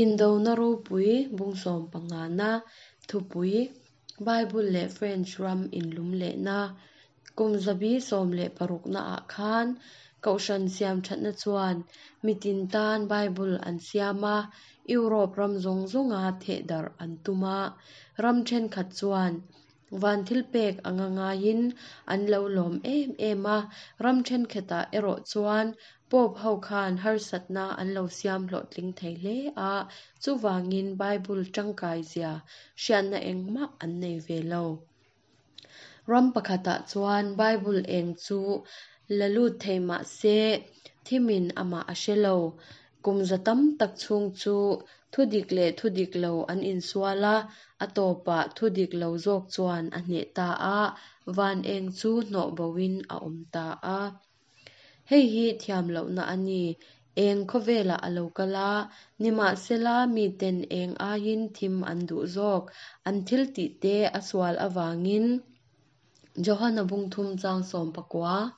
Indona ropui bung sawmpangana thupui, Bible leh French ram inlumlehna, kum zabi 16 naah khan Kohhran siamthatna chuan mitin tan Bible an siam a, Europe ram zawng zawnga thehdarh an tum a, ram thenkhat chuan Van thilpek anga ngaiin an lo lawm em em a, ram thenkhatah erawh chuan Pope ho khan harsatna an lo siam hlawhtling thei hle a, chuvangin Bible tangkai zia hriatna engmah an nei ve lo. Ram pakhatah chuan Bible eng chu la lut thei mah se, thimin amah a hre lo. Kum za tam tak chhung chu thu dik leh thu dik lo an insual a, a tawpah thu dik lo zawk chuan a hneh ta a, van eng chu hnawh boin a awm ta a. Hei hi thiam lohna a ni. Eng khawvelah a lo kal a, nimahsela miten eng aiin thim an duh zawk, an thil tihte a sual avangin. Johana bung thum chang 19.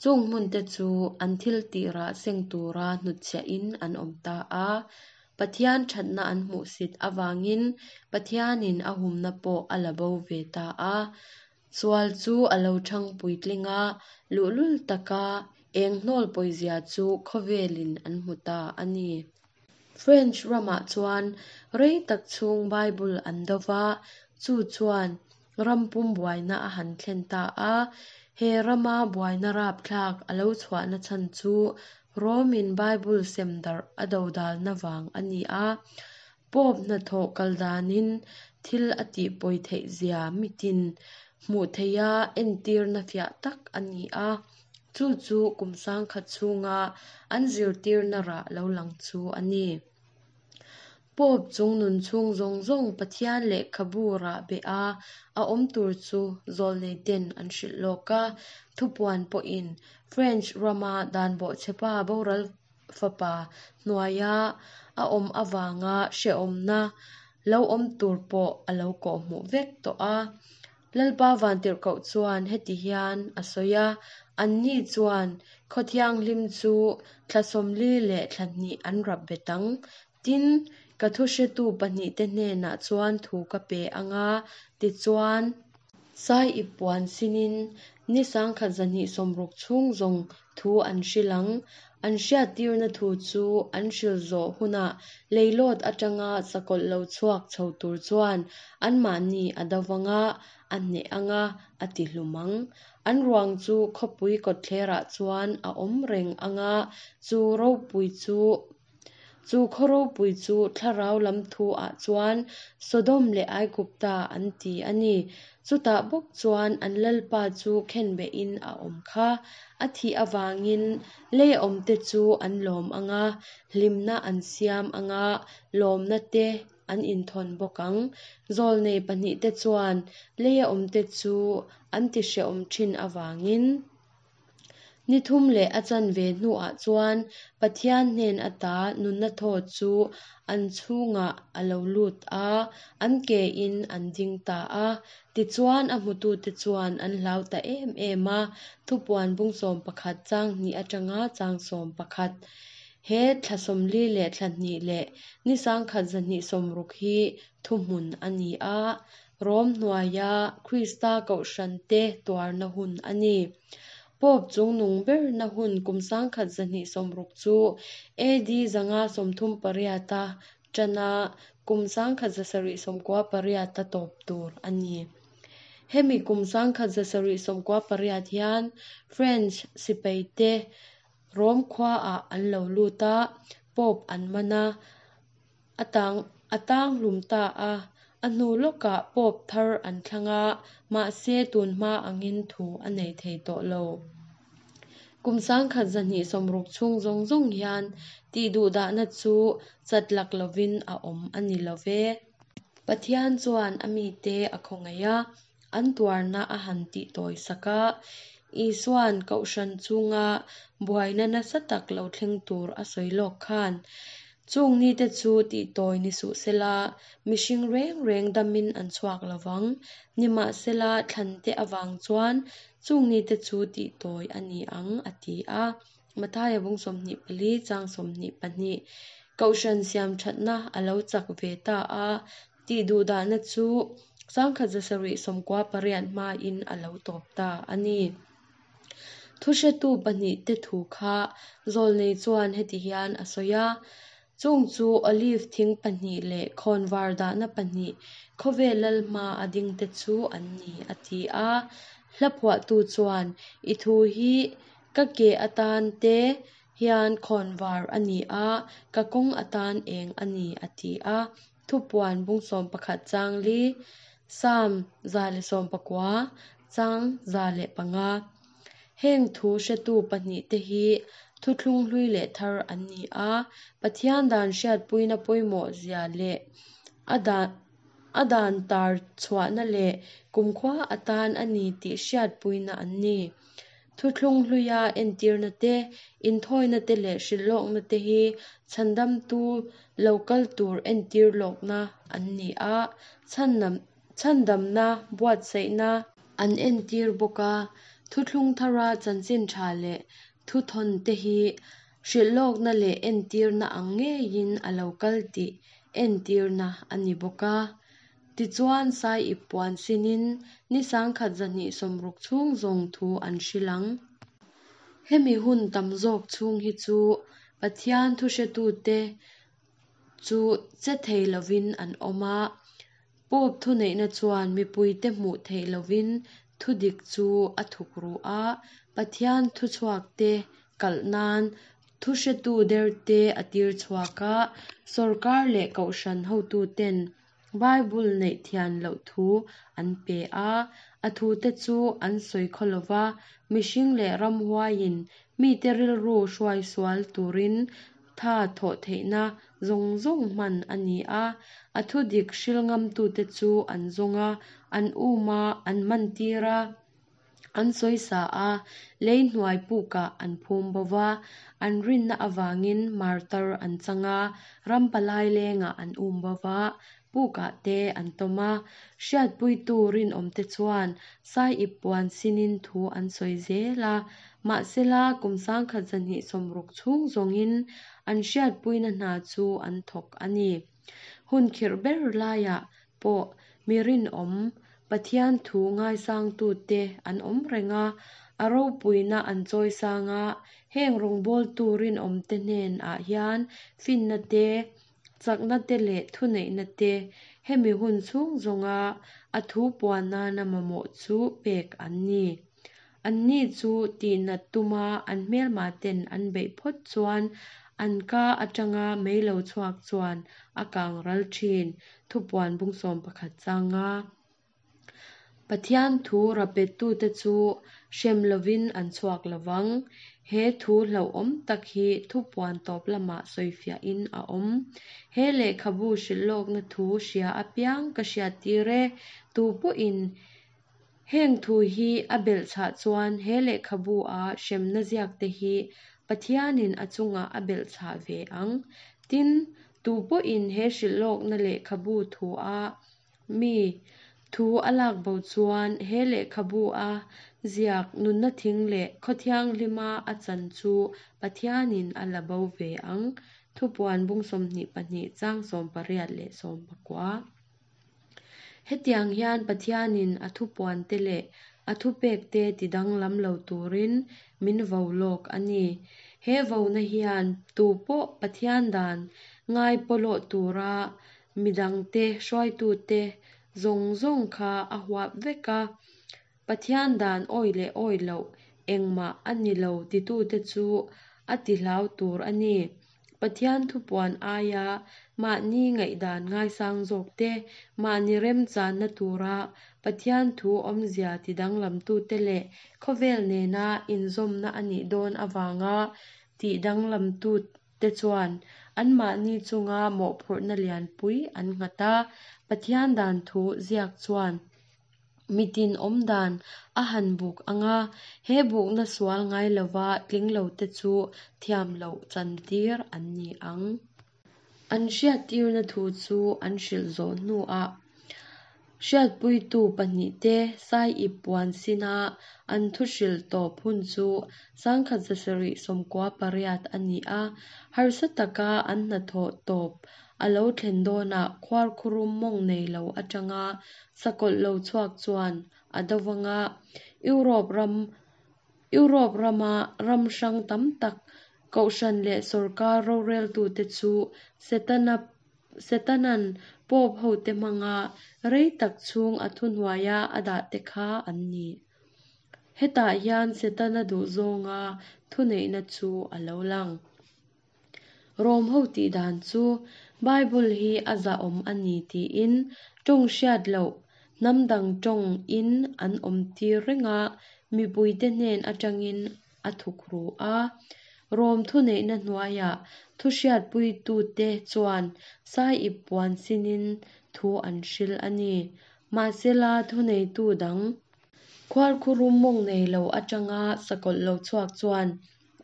Chung hmunte chu an thil tih rah seng tura hnutchhiahin an awm ta a. Pathian thatna an hmuhsit avangin Pathianin a humna pawh a la bo ve ta a. Sual chu a lo thang puitling a, luhlul taka eng hnawl pawizia chu khawvelin an hmu ta a ni. French ramah chuan rei tak chhung Bible an do va, chu chuan ram pum buaina a han thlen ta a. He rama buaina rapthlak a lo chhuahna chhan chu Rome-in Bible sem darh a dodalna vang a ni a. Pope hnathawh kal danin thil a tih pawi theih zia mitin hmuh theiha entirna fiah tak a ni a, chu chu kum 1000 chhunga an zirtirna rah lo lang chu a ni. Pope chung nun chhung zawng zawng Pathian lehkhabu rah beh a a awm tur chu zawlnei ten an hrilh lawk a, thupuan pawhin French rama dan bawhchhepa boral fapa hnuaia a awm avanga hrehawmna lo awm tur pawh a lo kawhhmuh vek tawh a. Lalpa Vantirhkoh chuan heti hian a sawi a, Anni chuan khaw thianghlim chu thla 40 leh thla hnih an rap bet ang. Tin, ka thu hretu pahnihte hnenah chuan thu ka pe ang a, tichuan, Sai ip puan sinin ni 1260 chhung zawng thu an hrilh ang. An hriattirna thu chu an hrilh zawh hunah leilawt atanga sakawlh lo chhuak chho tur chuan anmahni a do vang a, a hneh ang a, a ti hlum ang. An ruang chu khawpui kawtthlerah chuan a awm reng ang a, chu ropui chu Chu khaw ropui chu thlarau lam thu ah chuan Sodom leh Aigupta an ti a ni. Chutah bawk chuan an lalpa chu khenbehin a awm kha. A thih avangin lei awmte chu an lawm ang a, hlimna an siam ang a, lawmna te an inthawn bawk ang. Zawlnei pahnihte chuan leia awmte chu an tihrehawm thin avangin. Ni thum leh a chanve hnuah chuan Pathian hnen ata nunna thaw chu an chhungah a lo lut a, an kein an ding ta a. Tichuan a hmutute chuan an hlau ta em em a, thupuan bung 11 chang hnih atanga chang 11. He thla 40 leh thla hnih leh ni 1260 hi thuhmun a ni a, Rom hnuaia Krista kohhrante tuarna hun a ni. Pope chungnung berna hun kum 1260 chu AD 538 a tana kum 1798 a tawp tur a ni. Hemi kum 1798 hian French sipaite Rom khuaah an lo lut a, Pope an man a, A tang a tang hlum ta a, a hnu lawkah Pope thar an thlang a, mahse tun hma angin thu a nei thei tawh lo. Kum 1260 chhung zawng zawng hian tih duhdahna chu chat lak lovin a awm a ni lo ve. Pathian chuan a mite a khawngaih a, an tuarna a han tih tawi sak a, Isua'n kohhran chunga buaina nasa tak lo thleng tur a sawi lawk khan, Chung nite chu tih tawi ni suh sela, mihring reng reng damin an chhuak lo vang. Nimahsela, thlante avang chuan chung nite chu tih tawi a ni ang, a ti a. Mathaia bung 24 chang 22. Kohhran siamthatna a lo chak ve ta a, tihduhdahna chu 1798 hmain a lo tawp ta a ni. Thuhretu pahnihte thu kha zawlnei chuan heti hian a sawi a, Chung chu olive thing pahnih leh khawnvar dahna pahnih khawvel lal hma a dingte chu an ni, a ti a. Hla phuahtu chuan, I thu hi ka ke atan te hian khawnvar a ni a, ka kawng atan eng a ni, a ti a. Thupuan bung 11 chang li, Salm 119, chang 105. Heng thu hretu pahnihte hi thuthlung hlui leh thar an ni a, Pathian dan hriatpuina pawimawh zia leh a dan a dan tar chhuahna leh kumkhua atan a ni tih hriatpuina an ni. Thuthlung hluia entirna te, inthawina te leh hrilhlawkna te hi chhandamtu lo kal tur entir lawkna an ni a, chhandamna buatsaihna an entir bawk a. Thuthlung thara chanchin tha leh thuthawn te hi hrilhlawkna leh entirna ang ngeiin a lo kal tih entirna a ni bawk a. Tichuan, sai ip puan sinin ni 1260 chhung zawng thu an hrilh ang. Hemi hun tam zawk chhung hi chu Pathian thuhretute chu che thei lovin an awm a. Pope thuneihna chuan mipuite hmuh theih lovin thudik chu a thuk ru a, Pathian thuchhuakte kalh nan thuhretu derte a tir chhuak a, sorkar leh kohhran hotuten Bible neih thian loh thu an pe a, a thute chu an sawi khaw lo va, mihring leh ramhuaiin mite rilru hruai sual turin tha thawh theihna zawng zawng hman a ni a, a thudik hril ngamtute chu an zawng a, an um a, an mantir a. An sawisa a, lei hnuai pukah an phum bo va, an rinna avangin martar an chang a, ram palai lengah an um bo va, pukah te an tawm a. Hriatpuitu rinawmte chuan sai ip puan sinin thu an sawi zel a, mahsela kum 1260 chhung zawngin an hriatpuina hna chu an thawk a ni. Hun khirh ber laiah pawh mi rinawm, Pathian thu ngaisangtute an awm reng a, a ropuina an chawisang a, heng rawngbawltu rinawmte hnenah hian finna te, chakna te leh thuneihna te hemi hun chhung zawnga a thu puan nana mamawh chu pek an ni. Anni chu tihnat tuma an hmelmaten an beih phawt chuan an ka atanga mei lo chhuak chuan a kang ral thin, thupuan bung 11 changa. Pathian thu rapettute chu hrem lovin an chhuak lovang. He thu hlauhawm tak hi thupuan tawp lamah sawifiahin a awm. He lehkhabu hrilhlawkna thu hria apiang ka hriattir e, tu pawhin Heng thu hi a belhchhah chuan he lehkhabu a hremna ziakte hi Pathianin a chungah a belhchhah ve ang. Tin, tu pawhin he hrilhlawkna lehkhabu thu a mi thu a lak bo chuan he lehkhabu a ziak nunna thing leh khaw thianghlima a chan chu Pathianin a la bo ve ang. Thupuan bung 22 chang 18 leh 19. Hetiang hian Pathianin a thupuante leh a thupekte tidanglam lo turin min vo lawk a ni. He vona hian tu pawh Pathian dan ngai pawlawh tura midangte hruaitute zawng zawng kha a huap vek a. Pathian dan awi leh awi loh engmah a ni lo titute chu a tihlau tur a ni. Pathian thupuan aia mahni ngaihdan ngaisang zawk te, mahni remchanna tura Pathian thu awmzia tidanglamtute leh khawvel nena inzawmna a nih dawn avanga tidanglamtute chuan anmahni chunga mawhphurhna lianpui an nghat a, Pathian dan thu ziak chuan Mitin awm dan a han buk ang a, he bukna sual ngai lova tling lote chu thiam loh chantir an ni ang. An hriattirna thu chu an hrilh zawh hnuah Hriatpuitu pahnihte Saiip puan sina an thu hrilh tawp hun chu 1798 a ni a, harsa taka an hnathawh tawp a lo thlen dawnah khuarkhurum mawng nei lo atanga sakawlh lo chhuak chuan a do vanga Europe ram Europe rama ram hrang tam tak kohhran leh sawrkar roreltute chu Setana Setana'n Pope hote hmanga rei tak chhung a thuhnuaia a dahte kha an ni. Hetah hian Setana duhzawnga thuneihna chu a lo lang. Rom ho tih dan chu Bible hi a zahawm a ni tiin tawng hriat loh hnam dang tawng in an awm tir reng a, mipuite hnen atangin a thukru a. Rom thuneihna hnuaiah thuhriatpuitute chuan Saiip puan sinin thu an hril a ni. Mahsela thuneitu dang khuarkhurum mawng nei lo atanga sakawlh lo chhuak chuan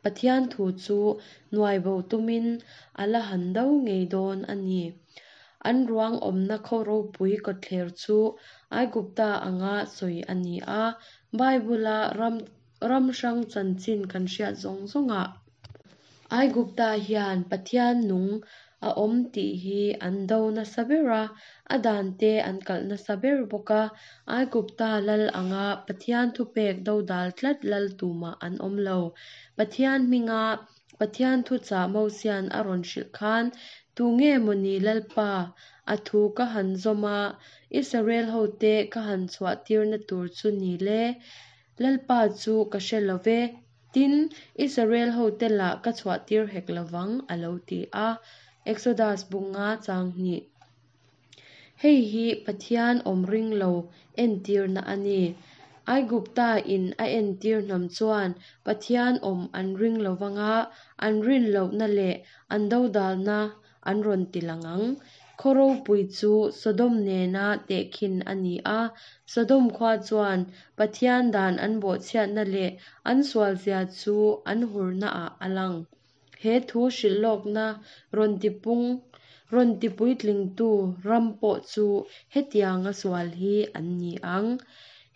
Pathian thu chu nuai bo tumin a la han do ngei dawn a ni. An ruang awmna khaw ropui kawtthler chu Aigupta anga sawi a ni a, Bible-a ram ram hrang chanchin kan hriat zawng zawngah Aigupta hian Pathian nung a awm tih hi an do nasa ber a, a dante an kalh nasa ber bawk a. Aigupta lal anga Pathian thupek dodal tlat lal tumah an awm lo. Pathian hminga Pathian thuchah Mosian a rawn hrilh khan, Tunge mawni Lalpa, a thu ka han zawm a, Israel hote ka han chhuah tirna tur chu ni le? Lalpa chu ka hre lo ve. Tin, Israel hote lah ka chhuahtir hek lovang, a lo ti a. Exodus bu nga chang hnih. Hei hi Pathian awm ring lo entirna a ni. Aigupta in a entir hnam chuan Pathian awm an ring lovang a, an rin lohna leh an dodalna an rawn ti lang ang. Khaw ropui chu Sodom nena tehkhin a ni a, Sodom khua chuan Pathian dan an bawhchhiatna leh an sualzia chu an hurnaah a lang. He thu hrilh lawkna rawn tipung rawn tipuitlingtu ram pawh chu hetianga sual hi an ni ang.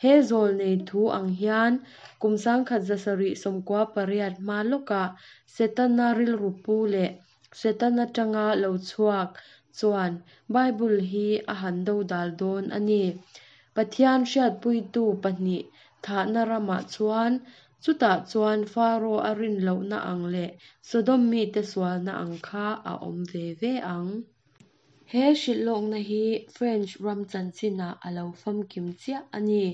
He zawlnei thu ang hian kum 1798 hma lawkah Setana rilru pu leh Satan atanga lo chhuak chuan Bible hi a han dodal dawn a ni. Pathian hriatpuitu pahnih thahna ramah chuan, chutah chuan Faro a rin lohna ang leh Sodom mite sualna ang kha a awm ve ve ang. He hrilhlawkna hi French ram chanchinah a lo famkim chiah a ni.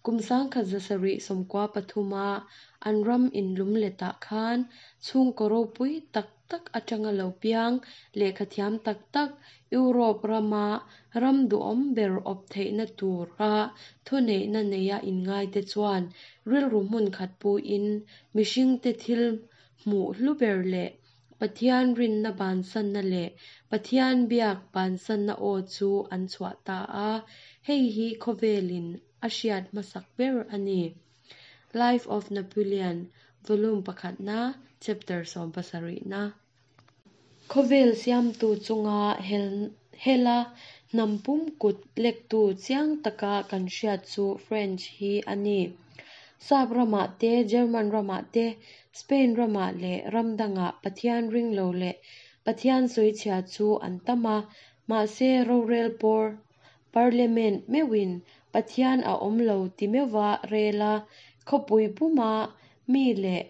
Kum 1793 a an ram inlum letah khan chhungkaw ropui tak tak atanga lo piang lehkhathiam tak tak Europe rama ram duhawm ber awp theihna tura thuneihna neia inngaite chuan rilru hmun khat puin mihringte thil hmuh hlu ber leh Pathian rinna bansanna leh Pathian biak bansanna aw chu an chhuah ta a, hei hi khawvelin a hriat hmasak ber a ni. Life of Napoleon, Volume pakhatna, Chapter sawmpasarihna. Khawvel siamtu chunga hela hnam pum kut lektu chiang taka kan hriat chu French hi a ni. Sap ramah te, German ramah te, Spain ramah leh ram dangah Pathian ring lo leh Pathian sawichhia chu an tam a, mahse rorel pawr, Parliament, meuhin Pathian a awm lo ti meuha rel a, khawpui puma mi leh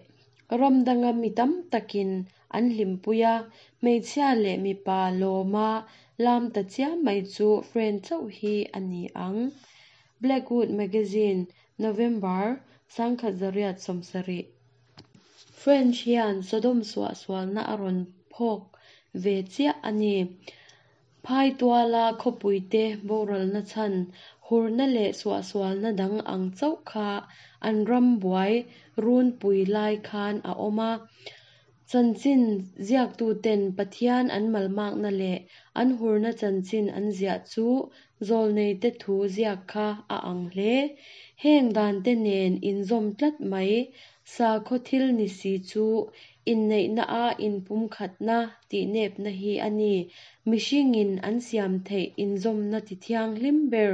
ram danga mi tam takin an hlimpui a, hmeichhia leh mipa lawma lam ta chiam mai chu French chauh hi a ni ang. Blackwood Magazine, November, 1970. French hian Sodom suahsualna a rawn phawk ve chiah a ni. Phaituala khawpuite boralna chhan, hurna leh suahsualna dang ang chauh kha an ram buai runpui lai khan a awm a. Chanchin ziaktuten Pathian an malmakna leh an hurna chanchin an ziah chu zawlneite thu ziak kha a ang hle. Heng dante nen inzawm tlat mai sakhaw thil ni si chu Inneihna-a inpumkhatna tihnepna hi a ni. Mihringin an siam theih inzawmna tithianghlim ber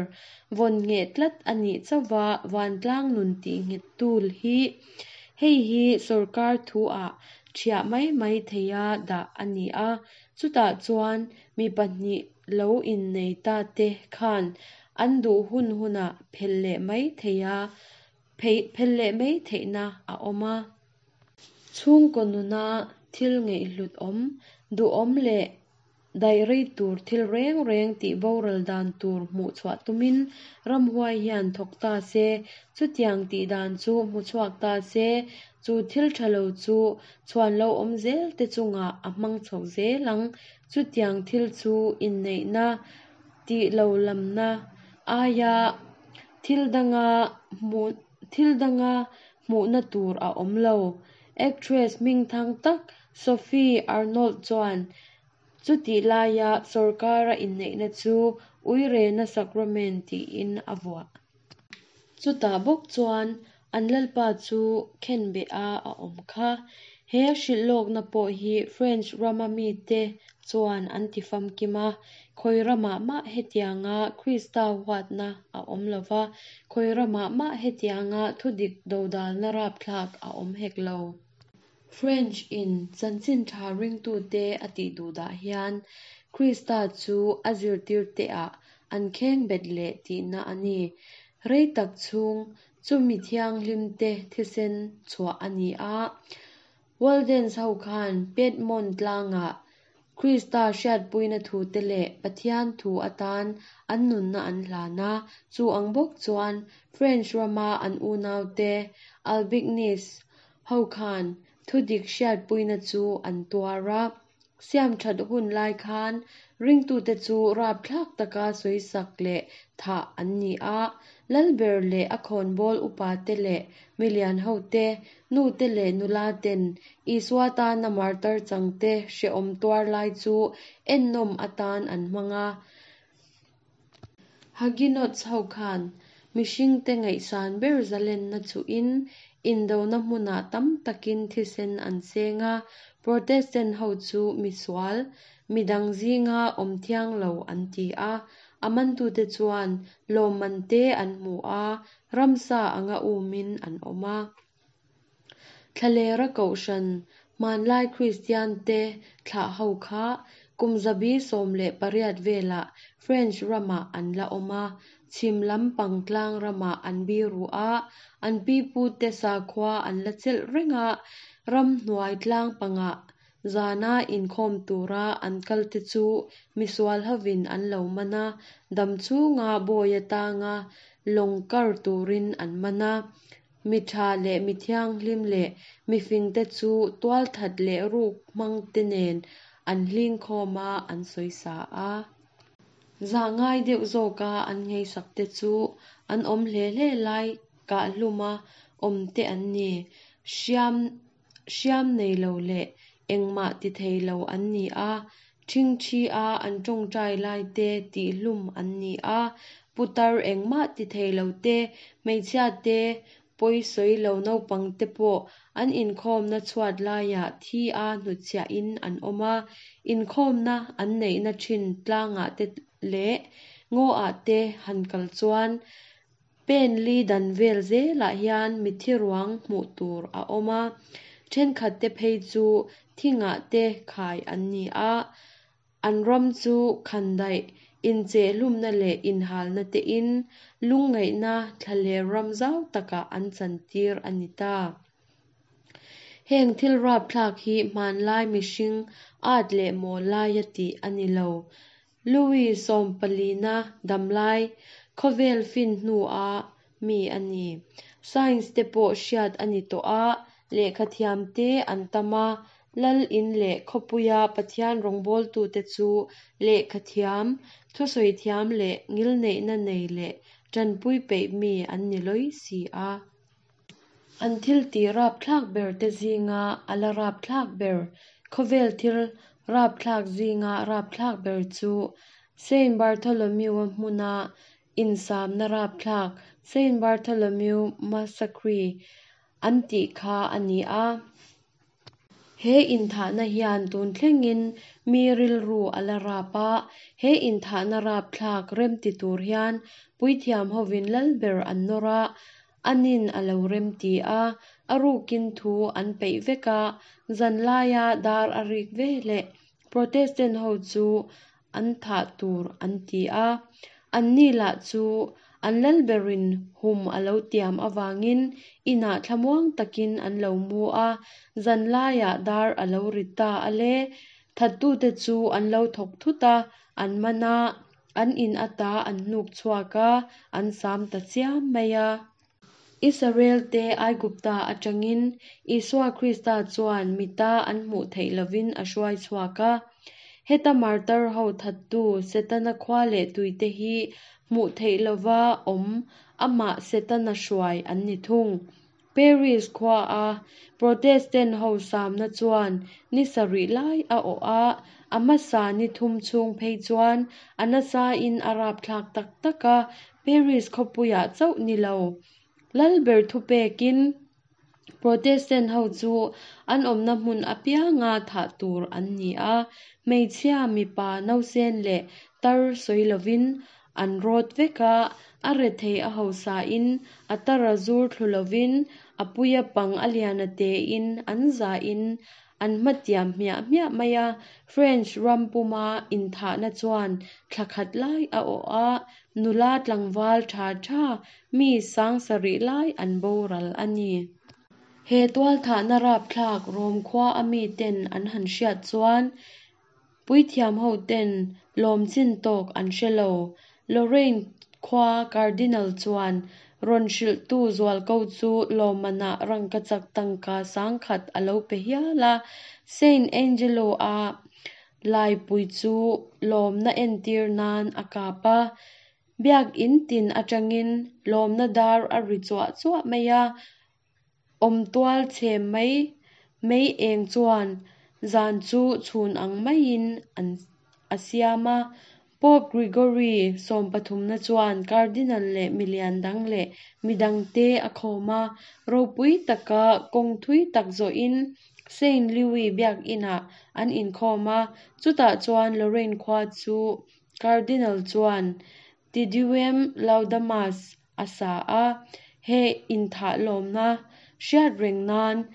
vawn ngheh tlat a nih chauhva vantlang nun tihnghettu hi. Hei hi sorkar thu-ah ṭhiah mai mai theiha dah a ni a, chutah chuan mi pahnih lo innei ta te khan an duh hun hunah phel leh mai theiha phel leh mai theihna a awm a. Chhungkaw nuna thil ngaihhlut awm, duhawm leh daih rei tur thil reng reng tih boral dan tur hmuh chhuah tumin ramhuai hian thawk ta se, chutiang tih dan chu hmu chhuak ta se, chu thil tha lo chu chhuan lo awm zel te chungah a hmang chho zel ang. Chutiang thil chu inneihna tih lo lamna aia thil danga thil danga hmuhna tur a awm lo. Actress hmingthang tak Sophie Arnold chuan chutih laia sorkara inneihna chu Uirena Sacrament tiin a vuah. Chutah bawk chuan an lalpa chu khenbeha a awm kha. He hrilhlawkna pawh hi French rama mite chuan an ti famkim a, khawi ramah mah hetianga Krista huatna a awm lo va, khawi ramah mah hetianga thudik dodalna rapthlak a awm hek lo. French in chanchin tha ringtute a tih duhdah hian Krista chu a zirtirteah an khengbet leh tihna a ni. Rei tak chhung chu mi thianghlimte thisen chhuah a ni a. Waldens ho khan Piedmont tlangah Krista hriatpuina thute leh Pathian thu atan an nunna an hlan a, chu ang bawk chuan French rama an unaute Albignese ho khan thudik hriatpuina chu an tuar a. Siam that hun lai khan ringtute chu rapthlak taka sawisak leh thah an ni a, Lalber leh a khawnbawl upate leh milian hote, nute leh nulaten Isua tana martar changte hrehawm tuar lai chu ennawm atan an hmang a. Huguenots ho khan mihringte ngaihsan ber zalenna chuhin indona hmunah tam takin thisen an seng a, Protestant ho chu misual, midang zinga awm thiang lo an ti a, a mantute chuan lawmman te an hmu a, ramsa anga umin an awm a. Thlalera Kohhran, hmanlai Kristiante thlah ho kha kum 118 velah French ramah an la awm a, chhim lam pang tlang ramah an biru a, an pipute sakhua an la chelh reng a, ramhnuai tlang pangah zana inkhawm tura an kalte chu misual hovin an lo man a, dam chhunga bawi atanga lawng kar turin an man a. Mi tha leh mi thianghlim leh mi fingte chu tualthat leh ruk hmangte nen an hlingkhawm a, an sawisa a. Zah ngai deuh zawka an ngaihsakte chu an awm hle hle lai kahhluma awmte an ni. Hriam hriam nei lo leh engmah ti thei lo an ni a, ṭhingṭhi a an ṭawngṭai lai te tihhlum an ni a, putar engmah ti thei lo te, hmeichhia te, pawi sawi lo naupang te pawh an inkhawmna chhuat laiah thi a hnutchhiahin an awm a, inkhawmna an neihna ṭhin tlangah te leh ngaw-ah te han kal chuan Pen li dan vel zelah hian mitthi ruang hmuh tur a awm a, thenkhatte phei chu thingah te khai an ni a, an ram chu khandaih, inchehhlumna leh inhalna tein lungngaihna thlaler ram zau takah an chantir a ni ta. Heng thil rapthlak hi hmanlai mihring at leh mawl laia tih a ni lo. Louis sawmpalina damlai khawvel fin hnua mi a ni. Science te pawh hriat a ni tawh a, lehkhathiam te an tam a, lal in leh khawpuia Pathian rawngbawltute chu lehkhathiam, thusawi thiam leh ngilneihna nei leh tanpui peih mi an ni lawi si a. An thil tih rapthlak ber te zinga a la rapthlak ber, khawvel thil rapthlak zinga rapthlak ber chu Saint Bartholomew-a hmuna insamna rapthlak, Saint Bartholomew Massacre an tih kha a ni a. He inthahna hian tun thlengin mi rilru a la rap a, he inthahna rapthlak remti tur hian puithiam hovin lalber an nawr a, anin a lo remti a, a rukin thu an peih vek a, zanlaia dar a rik veleh Protestant ho chu an thah tur an ti a, anni lah chu an lalberin hum a lo tiam avangin inah thlamuang takin an lo mu a, zanlaiah dar a lo ri ta a le, thattute chu an lo thawk thut a, an man a, an in ata an hnuk chhuak a, an sam ta chiam mai a. Israel-te Aigupta atangin Isua Krista chuan mita an hmuh theih lovin a hruai chhuak a. Heta martar ho thattu Setana khua leh tuite hi hmuh theih lova awm amah Setana hruai an ni thung. Paris khuaa Protestant ho samna chuan ni sarih lai a awh a, a hmasa ni thum chhung phei chuan a nasain a rapthlak tak tak a, Paris khawpuiah chauh ni lo. Lalber thupekin Protestant ho chu an awmna hmun apianga thah tur an ni a, hmeichhia, mipa, nausen leh tar sawi lovin an rawt vek a, a rethei a hausain a tar a zur thlu lovin a puia pang a lian a tein an zahin An hmatiam hmiah hmiah mai a, French ram puma inthahna chuan thla khat lai a awh a, nula tlangval tha tha mi sangsarih lai an boral a ni. He tualthahna rapthlak Rom khua a miten an han hriat chuan Puithiam ho ten lawm chin tawk an hre lo. Lorraine khua Cardinal chuan rawn hrilhtu zualko chu lawmmanah rangkachak tangka sangkhat a lo pe hial a. Saint Angelo-a laipui chu lawmna entir nan a kap a. Biakin tin atangin lawmna dar a ri chuah chuah mai a. Awmtual chhe mai mai eng chuan zan chu chhun ang maiin an a siam a. Pope Gregory sawmpathumna chuan Cardinal leh milian dang leh midangte a khawm a, ropui taka kawng thui tak zawhin Saint Louis biakinah an inkhawm a, chutah chuan Lorraine khua chu Cardinal chuan Te Deum Laudamus a sa a, he inthah lawmna hriat reng nan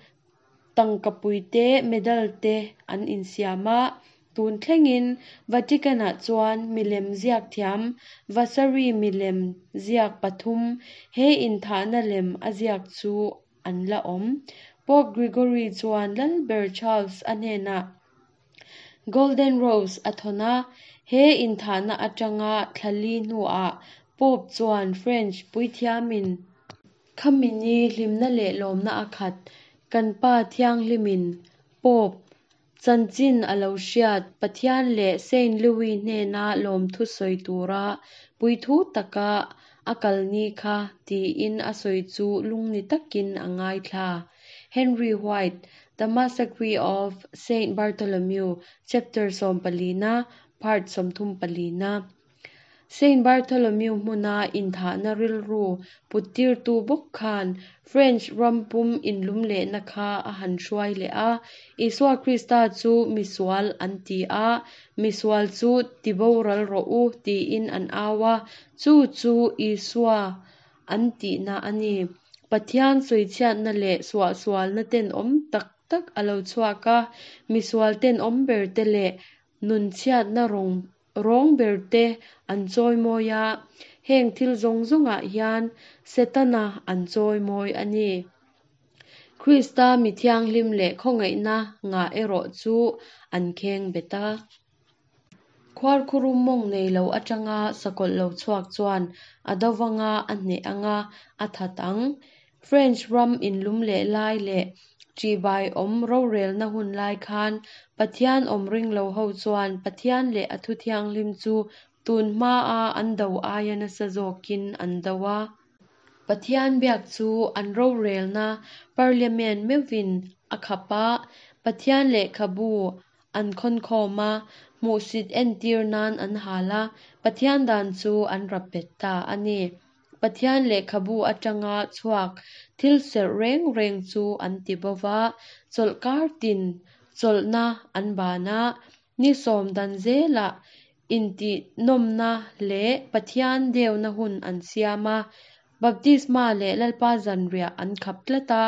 tangkapui te, medal te an insiam a. Tun thlengin Vatican-ah chuan milem ziak thiam Vasari milem ziak pathum he inthahna lem a ziak chu an la awm. Pope Gregory chuan Lalber Charles a hnenah Golden Rose a thawn a, he inthahna atanga thla li hnuah Pope chuan French puithiamin, Khami ni hlimna leh lawmna a khat, kan Pa Thianghlimin, Pope, chanchin a lo hriat Pathian leh Saint Louis hnena lawmthu sawi tura puithu taka a kal ni kha tiin a sawi chu lungni takin a ngaithla. Henry White, The Massacre of Saint Bartholomew, Chapter sawmpalina, Part sawmthumpalina. Saint Bartholomew hmuna inthahna rilru puttirtu bawk khan French ram pum inlumlehna kha a han hruai leh a, Isua Krista chu misual an ti a, misual chu tiboral rawh u tiin an au a, chu chu Isua an tihna a ni. Pathian sawichhiatna leh suahsualna tenawm tak tak a lo chhuak a, misual tenawm berte leh nunchhiatna rawng rawng berte an chawimawi a, heng thil zawng zawngah hian Setana an chawimawi a ni. Krista mi thianghlim leh khawngaihna ngah erawh chu an kheng bet a. Khuarkhurum mawng nei lo atanga sakawlh lo chhuak chuan a do vanga a hneh anga a that ang. French ram inlum leh lai leh ṭihbai awm rorelna hun lai khan Pathian awm ring lo ho chuan Pathian leh a thu thianghlim chu tun hmaa an do aia nasa zawkin an do a. Pathian biak chu an rorelna Parliament meuhvin a khap a, Pathian lehkhabu An khawnkhawm a, hmuhsit entir nan an hal a, Pathian dan chu an rap bet ta a ni. Pathian lehkhabu atanga chhuak thil serh reng reng chu an ti bo va, chawlhkar tin Chawlhna an ban a, ni sawm dan zelah intihnawmna leh Pathian deuna hun an siam a, Baptisma leh Lalpa zanriah an khap tlat a,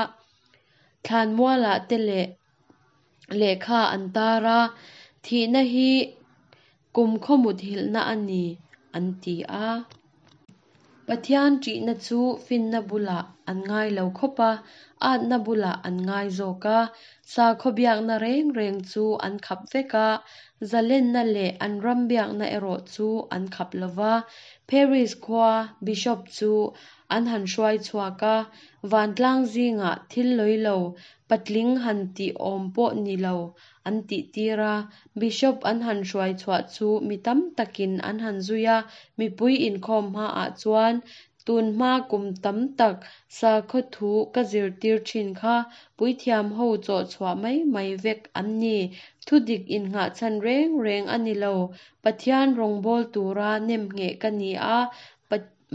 thlanmualah te leh lehkha an tar a, thihna hi kumkhaw muthilhna a ni an ti a. Pathian ṭihna chu finna bulah an ngai lo khawp a, atna bulah an ngai zawk a. Sakhaw biakna reng reng chu an khap vek a, zalenna leh an ram biakna erawh chu an khap lo va. Paris khua Bishop chu an han hruai chhuak a, vantlang zingah thil lawi lo, patling han tih awm pawh ni lo an tihtir a. Bishop an han hruai chhuah chu mi tam takin an han zui a, mipui inkhawm hmaah chuan tun hma kum tam tak sakhaw thu ka zirtir thin kha puithiam ho chawh chhuah mai mai vek an ni. Thudik innghahchhan reng reng a ni lo. Pathian rawngbâwl tura nemngheh ka ni a,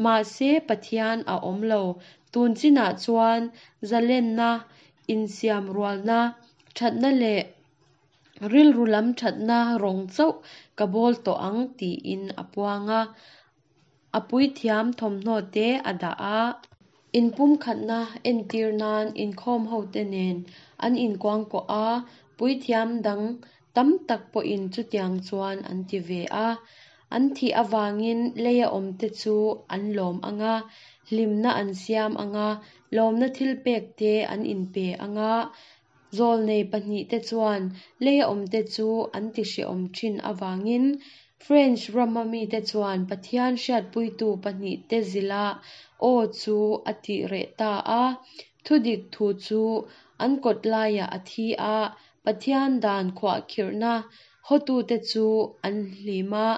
mahse Pathian a awm lo. Tun chinah chuan zalenna, insiam rualna, thatna leh rilru lam thatna rawng chauh ka bawl tawh ang tiin a puang a, a puithiam thawmhnaw te a dah a. Inpumkhatna entir nan inkhawm hote nen an inkuangkuah a, puithiam dang tam tak pawhin chutiang chuan an ti ve a. An thih avangin leia awmte chu an lawm ang a, hlimna an siam ang a, lawmna thilpek te an inpe ang a. Zawlnei pahnihte chuan leia awmte chu an tihrehawm thin avangin French rama mite chuan Pathian hriatpuitu pahnihte zila aw chu a tih reh ta a. Thudik thu chu an kawt laiah a thi a, Pathian dan khuahkhirhna hawtute chu an hlim a,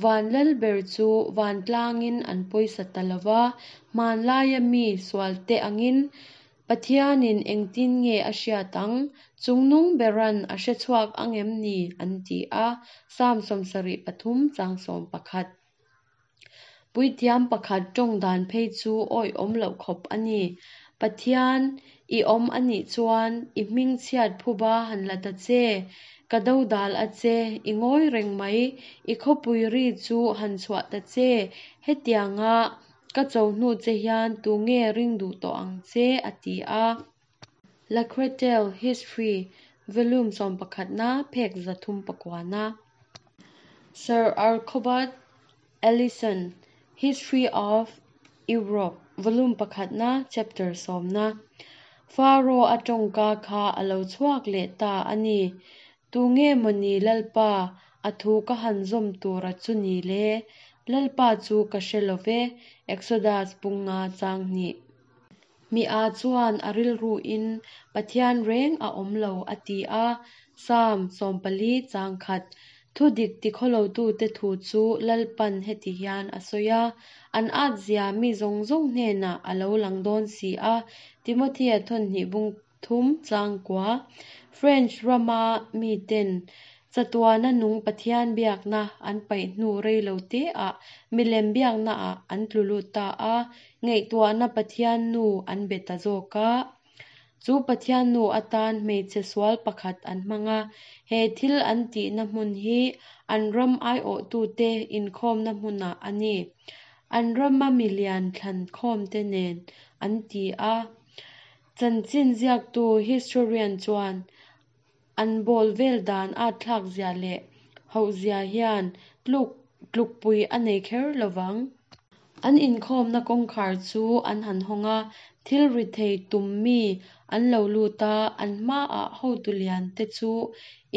van lalber chu vantlangin an pawisa ta lo va, hmanlaia mi sualte angin Pathianin engtin nge a hriat ang? Chungnung beran a hre chhuak ang em ni? an ti a, Psalm 73 chang 11. Puithiam pakhat tawng dan phei chu awihawm loh khawp a ni. Pathian, i awm a nih chuan i hming chhiat phuba han la ta che. Ka dodal a che, i ngawi reng mai, i khawpui ri chu han chhuah ta che. Hetianga ka cho hnu che hian tu nge ring duh tawh ang che a ti a. Lacretelle History, Volume 11-na, phek 309-na. Sir Archibald Alison, History of Europe, Volume 1-na, Chapter 10-na. Pharaoh a tawngka kha a lo chhuak leh ta a ni. Tu nge mawni Lalpa, a thu ka han zawm tura chu ni le? Lalpa chu ka hre lo ve, Exodus bunga chang hnih. Mi a chuan a rilruin Pathian reng a awm lo a ti a, Psalm 40 chang khat. Thudik tikhawlotute thu chu Lalpan heti hian a sawi a, an at zia mi zawng zawng hnenah a lo lang dawn si a, Timothea thawn hnih bung thum chang kua. French rama miten chatuana nung Pathian biakna an paih hnu rei lo te ah milem biakna ah an tlu lut ta a, ngaihtuahna Pathian nu an be ta zawk a. Chu Pathian nu atan hmeichhe sual pakhat an hmang a, he thil an tihna hmun hi an ram aiawhtute inkhawmna hmunah a ni. An rama milian thlan khawmte nen an ti a. Chanchin ziaktu historian chuan an bawl vel dan a thlak zia leh hauh zia hian tluk tlukpui a nei kher lovang. An inkhawmna kawngkhar chu an han hawng a, thil ri thei tum mi an lo lut a, an hmaah hotu lian te chu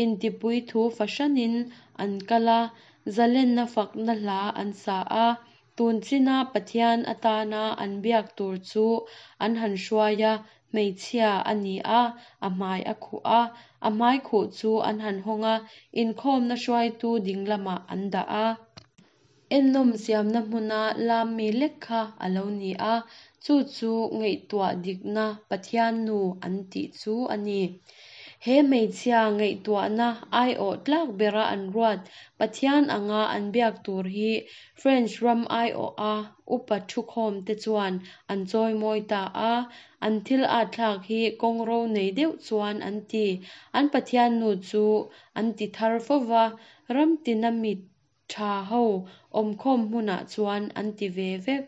intipui thu fahranin an kal a, zalenna fakna hla an sa a, tun china Pathian atana an biak tur chu an han hruai a, hmeichhia a ni a, a hmai a khuh a, a hmai khuh chu an han hawng a, inkhawmna hruaitu ding lamah an dah a. Ennawm siamna hmuna lam mi lek kha a lo ni a, chu chu ngaihtuah dikna Pathian nu an tih chu a ni. He hmeichhia ngaihtuahna aiawh tlak bera an ruat Pathian anga an biak tur hi French ram aiawha upa thukhawmte chuan an chawimawi ta a, an thil atthlak hi kawngro nei deuh chuan an ti. An Pathiannu chu an ti thar fo va, ram tina mi tha ho awmkhawm hmunah chuan an ti ve vek.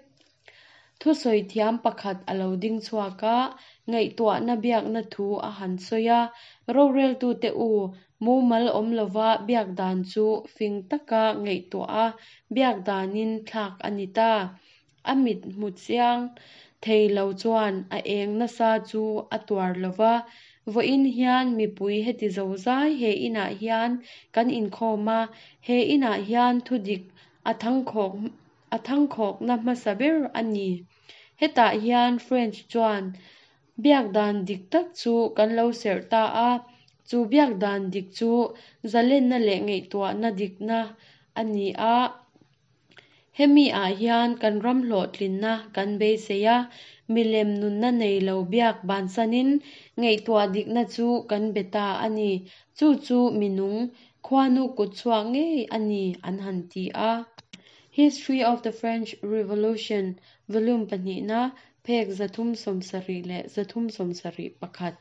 Thusawi thiam pakhat a lo ding chhuak a, ngaihtuahna biakna thu a han sawi a, Roreltute u, mumal awm lova biak dan chu fing taka ngaihtuah a biak danin thlak a ni ta. A mit hmu chiang thei lo chuan a eng nasa chu a tuar lo va, Vawiin hian mipui heti zozai he inah hian kan inkhawm a, he inah hian thudik a thangkhawk a thangkhawkna hmasa ber a ni. Hetah hian French chuan biak dan dik tak chu kan lo serh ta a, chu biak dan dik chu zalenna leh ngaihtuahna dikna a ni a. Hemi ah hian kan ram hlawhtlinna kan beisei a, milem nunna nei lo biak bansanin ngaihtuah dikna chu kan be ta a ni. Chu chu minung, khuanu kutchhuak ngei a ni an han ti a. History of the French Revolution, Volume pahnihna, phek 370 leh 371.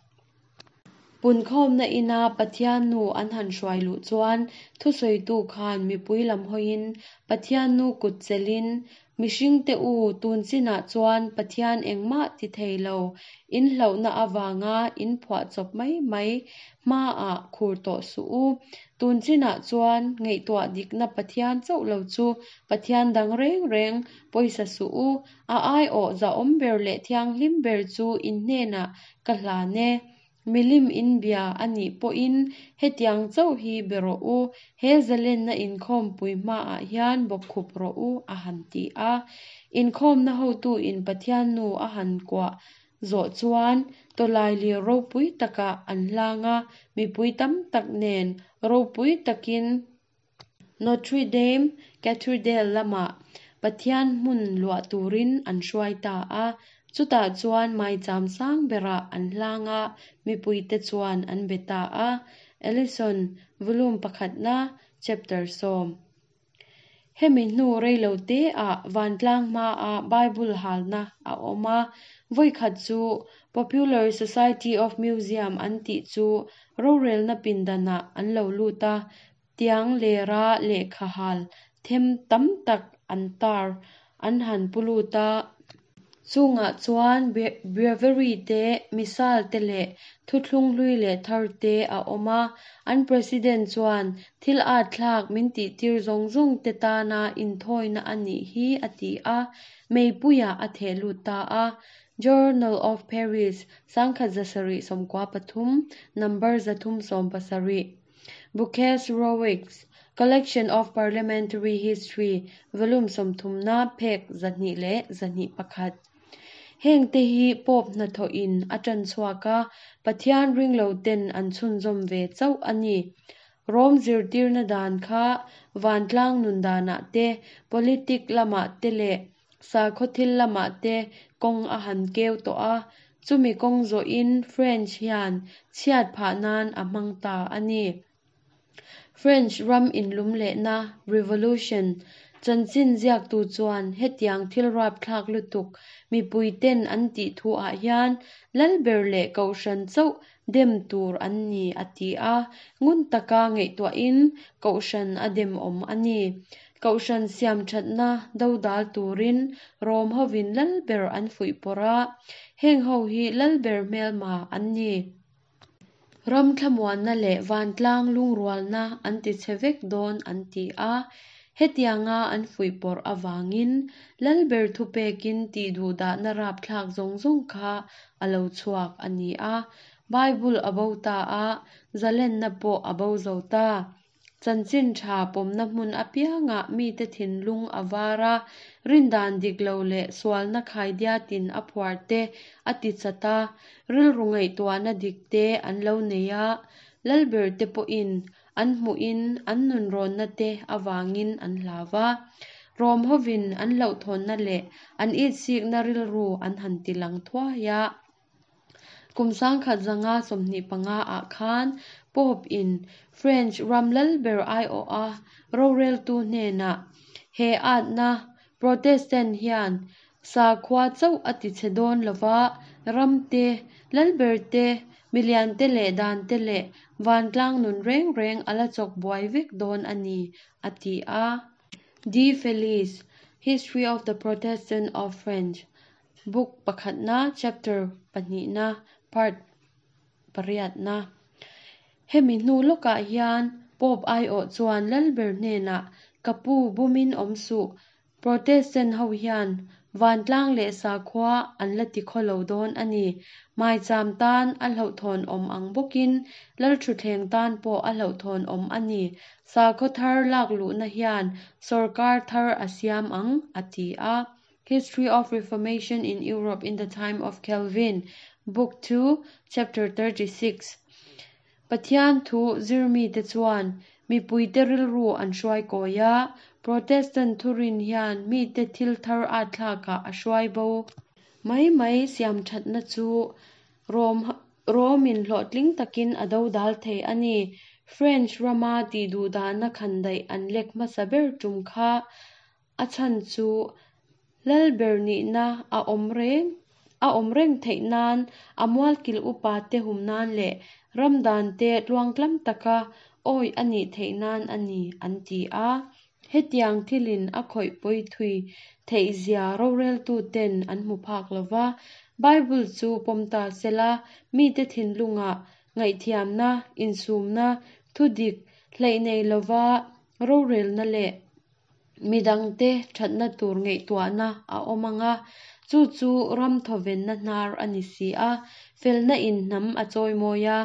Punkhawmna ina Pathian nu an han hruai luh chuan thusawitu khan mipui lam hawiin Pathian nu kut chelhin, Mihringte u, tun chinah chuan Pathian engmah ti thei lo, in hlauhna avanga in phuahchawp mai mai hmaah khur tawh suh u. Tun chinah chuan ngaihtuah dikna Pathian chauh lo chu Pathian dang reng reng pawisa suh u, a aiawh zahawm ber leh thianghlim ber chu in hnenah ka hlan e. Milim in bia a nih pawhin hetiang chauh hi be rawh u, he zalenna inkhawmpui hmaah hian bawkkhup rawh u, a han ti a. Inkhawmna hotuin Pathian nu a han kuah zawh chuan tawlailir ropui takah an hlang a, mipui tam tak nen ropui takin Notre Dame Cathedral lamah Pathian hmun luah turin an hruai ta a, chutah chuan maicham sang berah an hlang a, mipuite chuan an be ta a. Ellison, Volume pakhatna, Chapter sawm. Hemi hnu reilo teah vantlang hmaa Bible halna a awm a, vawikhat chu Popular Society of Museum an tih chu rorelna pindanah an lo lut a, tiang lera lehkha hal them tam tak an tar an han pu lut a. Chungah chuan Breviary te, Missal te leh thuthlung hlui leh thar te a awm a. An President chuan thil atthlak min tihtir zawng zawng te tana inthawina a nih hi a ti a, meipuiah a theh lut ta a. Journal of Paris, 1793, number 370. Bouquet Rowick's Collection of Parliamentary History, Volume sawmthumna, phek 201. Heng te hi Pope hnathawhin a tan chhuak a, Pathian ringlo ten an chhunzawm ve chauh a ni. Rome zirtirna dan kha vantlang nun danah te, politic lamah te leh sakhaw thil lamah te kawng a han keu tawh a, chumi kawng zawhin French hian chhiat phah nan a hmang ta a ni. French ram inlumlehna, revolution, chanchin ziaktu chuan hetiang thil rapthlak lutuk mipuiten an tih thuah hian lalber leh kohhran chauh dem tur an ni a ti a, ngun taka ngaihtuahin kohhran a dem awm a ni. Kohhran siam thatna dodal turin Rom hovin lalber an fuihpawrh a, heng ho hi lalber hmelma an ni. Ram thlamuanna leh vantlang lungrualna an ti chhe vek dawn an ti a, hetianga an fuihpawrh avangin lalber thupekin tihduhdahna rapthlak zawng zawng kha a lo chhuak a ni a. Bible a bo ta a, zalenna pawh a bo zo ta. Chanchin tha pawmna hmun apiangah mite thinlung a var a, rindan dik lo leh sualna khaidiatin a phuar te a ti chat a, rilru ngaihtuahna dik te an lo nei a, lalber te pawhin an hmuhin an nunrawnna te avangin an hlau va. Rom hovin an hlauhthawnna leh an itsikna rilru an han tilang thuai a. Kum 1525 ah khan Pope in French ram lalber aiawha roreltu hnenah he atna Protestant hian sakhua chauh a tichhe dawn lova, ram te, lalber te, milian te leh dan te leh vantlang nun reng reng a la chawk buai vek dawn a ni, a ti a. De Felice, History of the Protestant of French, Book pakhatna, Chapter pahnihna, Part pariatna. Hemi hnu lawkah hian Pope aiawh chuan lalber hnenah, Ka pu, bumin awm suh, Protestant ho hian vantlang leh sakhua an la ti khaw lo dawn a ni. Maicham tan a hlauhthawn awm ang bawkin lalthutthleng tan pawh a hlauhthawn awm a ni. Sakhaw thar lak luhna hian sawrkar thar a siam ang, a ti a. History of Reformation in Europe in the Time of Calvin, Book 2, Chapter 36. Pathian thu zirmite chuan mipuite rilru an hruai kawi a, Protestant thurin hian mite thil thar atthlakah a hruai bo. Mai mai siamthatna chu Rom Rom-in hlawhtling takin a dodal thei a ni. French rama tihduhdahna khandaih an lek hmasa ber tum kha A chhan chu Lalber nihna a awm reng a awm reng theih nan a mualkil upa te hum nan leh ram dan te tluangtlam taka awih a nih theih nan a ni an ti a. Hetiang thilin a khawih pawi thui theih zia roreltu ten an hmu phak lo va, Bible chu pawm ta sela mite thinlungah ngaihthiamna, insumna, thudik hleih nei lova rorelna leh Midangte thatna tur ngaihtuahna a awm ang a, chu chu ram thawvenna hnar a ni si a, felna in hnam a chawimawi a.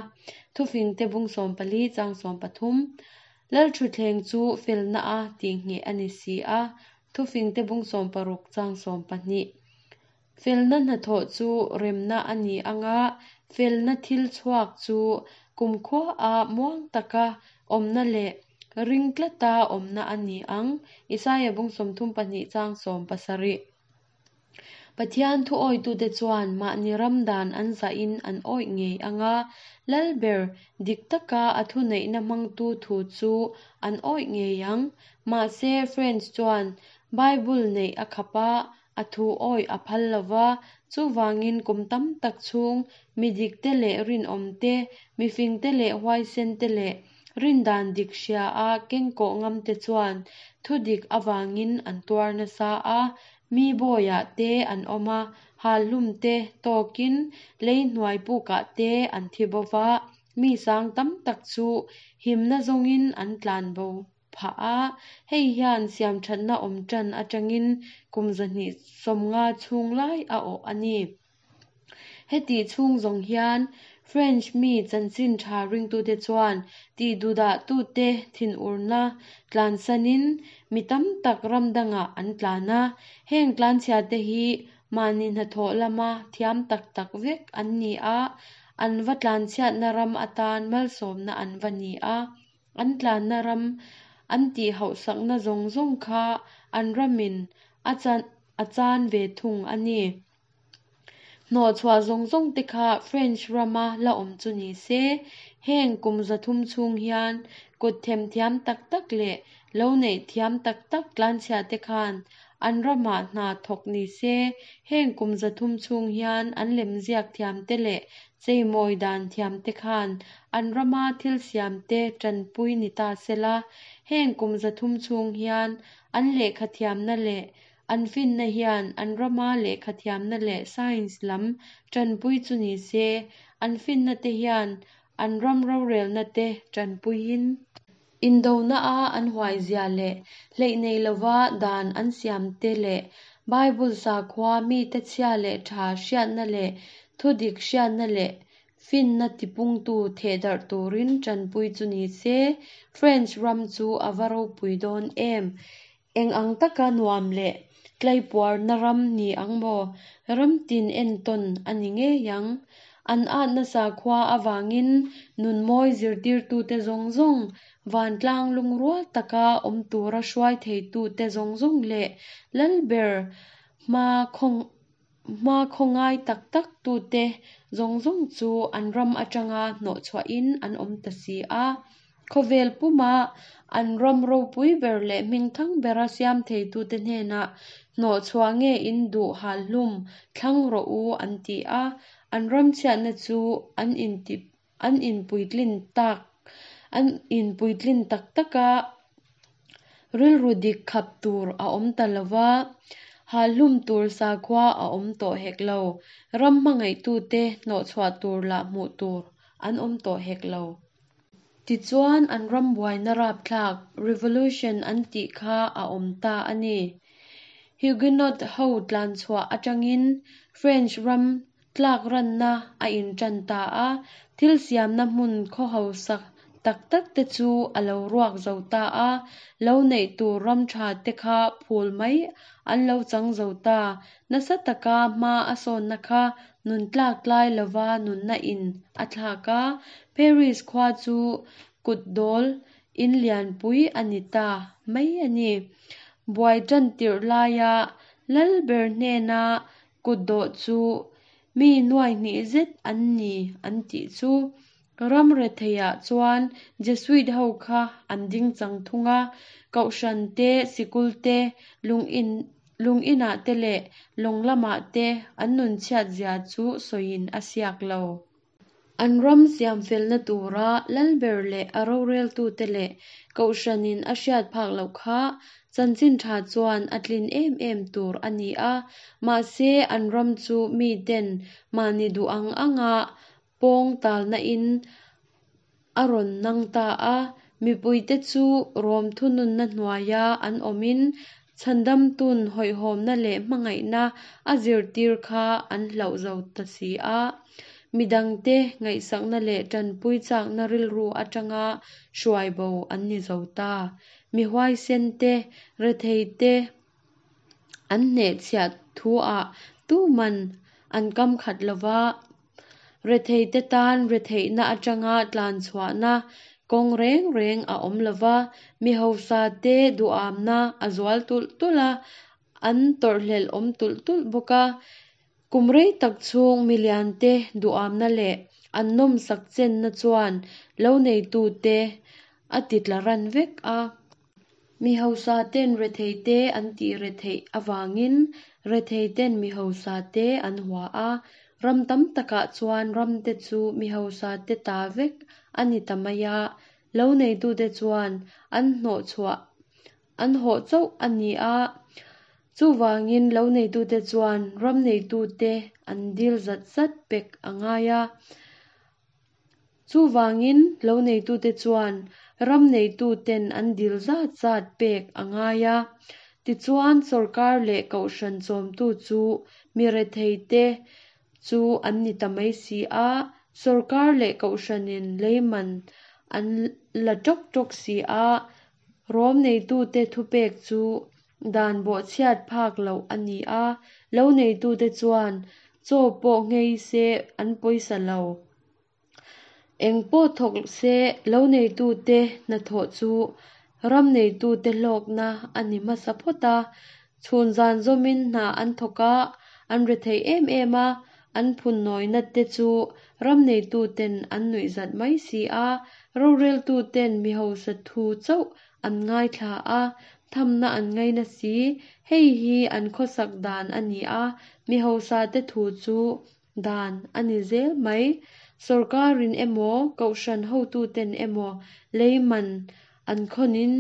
Thufingte bung 14 chang 13, Lalthutthleng chu felna a tihngheh a ni si a, Thufingte bung 16 chang 12. Felna hnathawh chu remna a ni ang a, felna thil chhuak chu kumkhua-a muang taka awmna leh ring tlata awmna a ni ang, Isaia bung 32 chang 17. Pathian thuawitute chuan mahni ram dan an zahin an awih ngei ang a, Lalber dik taka a thuneihna hmangtu thu chu an awih ngei ang. Mahse, French chuan Bible neih a khap a, A thu awih a phal lo va, chuvangin kum tam tak chhung mi dikte leh rinawmte, mifingte leh huaisente leh rindan dik hria a kengkawh ngamte chuan thu dik avangin an tuar nasa a, mi bawiah te an awm a, halhlumte tawkin lei hnuai pukah te an thi bo va, mi sang tam tak chu himna zawngin an tlan bo. phah a, hei hian siamthatna awm tan atangin kum 250 chhung lai a awh a ni. Hetih chhung zawng hian French mi chanchin tha ringtute chuan tihduhdahtute thinurna tlansanin mi tam tak ram dangah an tlan a, heng tlanchhiate hi mahni hnathawh lama thiam tak tak vek an ni a, an va tlanchhiatna ram atan malsawmna an va ni a. An tlanna ram an tih hauhsakna zawng zawng kha an ramin a chan a chan ve thung a ni. Hnawhchhuah zawng zawng te kha French rama la awm chu ni se, heng kum 300 chhung hian kut themthiam tak tak leh lo neih thiam tak tak tlanchhia te khan an ramah hna thawk ni se, heng kum 300 chhung hian an lemziak thiam te leh Cheimawi dan thiamte khan an rama thil siamte tanpui ni ta sela, heng kum 300 chhung hian an lehkha thiamna leh an finna hian an rama lehkha thiamna leh science lam tanpui chu ni se, an finna te hian an ram rorelna te tanpuiin. Indona a an huaizia leh hleih nei lova dan an siamte leh Bible sakhua mite chhia leh tha hriatna leh thudik hriatna leh finna tipungtu thehdarh turin tanpui chu ni se, French ram chu a va ropui dawn em! Eng ang taka nuam leh tlaipuarna ram ni ang maw? Ram tin entawn a ni ngei ang. An atna sakhua avangin nunmawi zirtirtute zawng zawng, vantlang lungrual taka awm tura hruai theitute zawng zawng leh Lalber hma Hmakhaw ngai tak tak tute zawng zawng chu an ram atanga hnawhchhuahin an awm ta si a. Khawvel puma an ram ropui ber leh hmingthang bera siam theitute hnenah hnawhchhuah nge in duh hal hlum thlang rawh u an ti a. An ram chhiatna chu an inti an inpuitlin tak an inpuitlin tak tak a, rilru dik khap tur a awm ta lo va, halhlum tur sakhua a awm tawh hek lo, ram hmangaihtute hnawhchhuah tur lah hmuh tur an awm tawh hek lo. Tichuan an ram buaina rapthlak, revolution an tih kha a awm ta a ni. Huguenot ho tlanchhuah atangin French ram tlak ranna a intan ta a, thil siamna hmun khaw hausa tak tak te chu a lo ruak zo ta a, lo neih tur ram tha te kha phul mai an lo chang zo ta. Nasa taka hma a sawnna kha nun tlak tlai lova nunna in a thlak a, Paris khua chu kut dawl in lianpui a ni ta mai a ni. Buai tan tirh laia lal ber hnena kutdawh chu mi nuai hnih zet an ni an tih chu. Ram retheiah chuan Jesuit ho kha an ding chang thung a, kohhran te, sikul te, lungin lung inah te leh lawng lamah te an nun chhiat zia chu sawiin a siak lo. An ram siam felna tura lalber leh a roreltute leh kohhranin a hriat phak loh kha chanchin tha chuan a tlin em em tur a ni a, mahse an ram chu miten mahni duh ang anga pawng talna in a rawn nang ta a, mipuite chu Rom thununna hnuaia an awmin chhandamtun hawihhawmna leh hmangaihna a zirtir kha an hlauh zo ta si a. Midangte ngaihsakna leh tanpui chakna rilru atanga hruai bo an ni zo ta. Mi huaisen te, rethei te an hnehchhiah thu-ah tuman an kam khat lova, rethei te tan retheihna atanga tlanchhuahna kawng reng reng a awm lova, mi hausa te duhamna a zual tulh tulh a, an tawrhhlelh awm tulh tulh bawk a. Kum rei tak chhung milian te duhamna leh an nawmsak chenna chuan lo neitute a ti tla ran vek a. Mi hausa ten rethei te an tih retheih avangin rethei ten mi hausa te an hua a, ram tam takah chuan ram te chu mi hausa te ta vek a ni ta mai a, lo neitute chuan an hnawhchhuah an hawh chauh a ni a, chuvangin lo neitute chuan ram neitute an dil zat zat pek a ngai a. Chuvangin lo neitute chuan ram neituten an dil zat zat pek a ngai a. Tichuan sorkar leh kohhran chawmtu chu mi retheite chu an ni ta mai si a, sorkar leh kohhranin leiman an la tawk tawk si a, Rom neitute thupek chu dan bawhchhiat phak loh a ni a, lo neitute chuan chaw pawh nghei se an pawisa lo. Eng pawh thawk se lo neitute hnathawh chu ram neitute hlawkna a ni hmasa phawt a, chhun zan zawmin hna an thawk a, an rethei em em a, an phunnawina te chu ram neituten an nuihzat mai si a, roreltuten mi hausa thu chauh an ngaithla a, thamna an ngaina si, hei hi an khawsak dan a ni a, mi hausa te thu chu dan a ni zel mai. Sorkarin emaw, kohhran hotuten emaw leiman an khawnin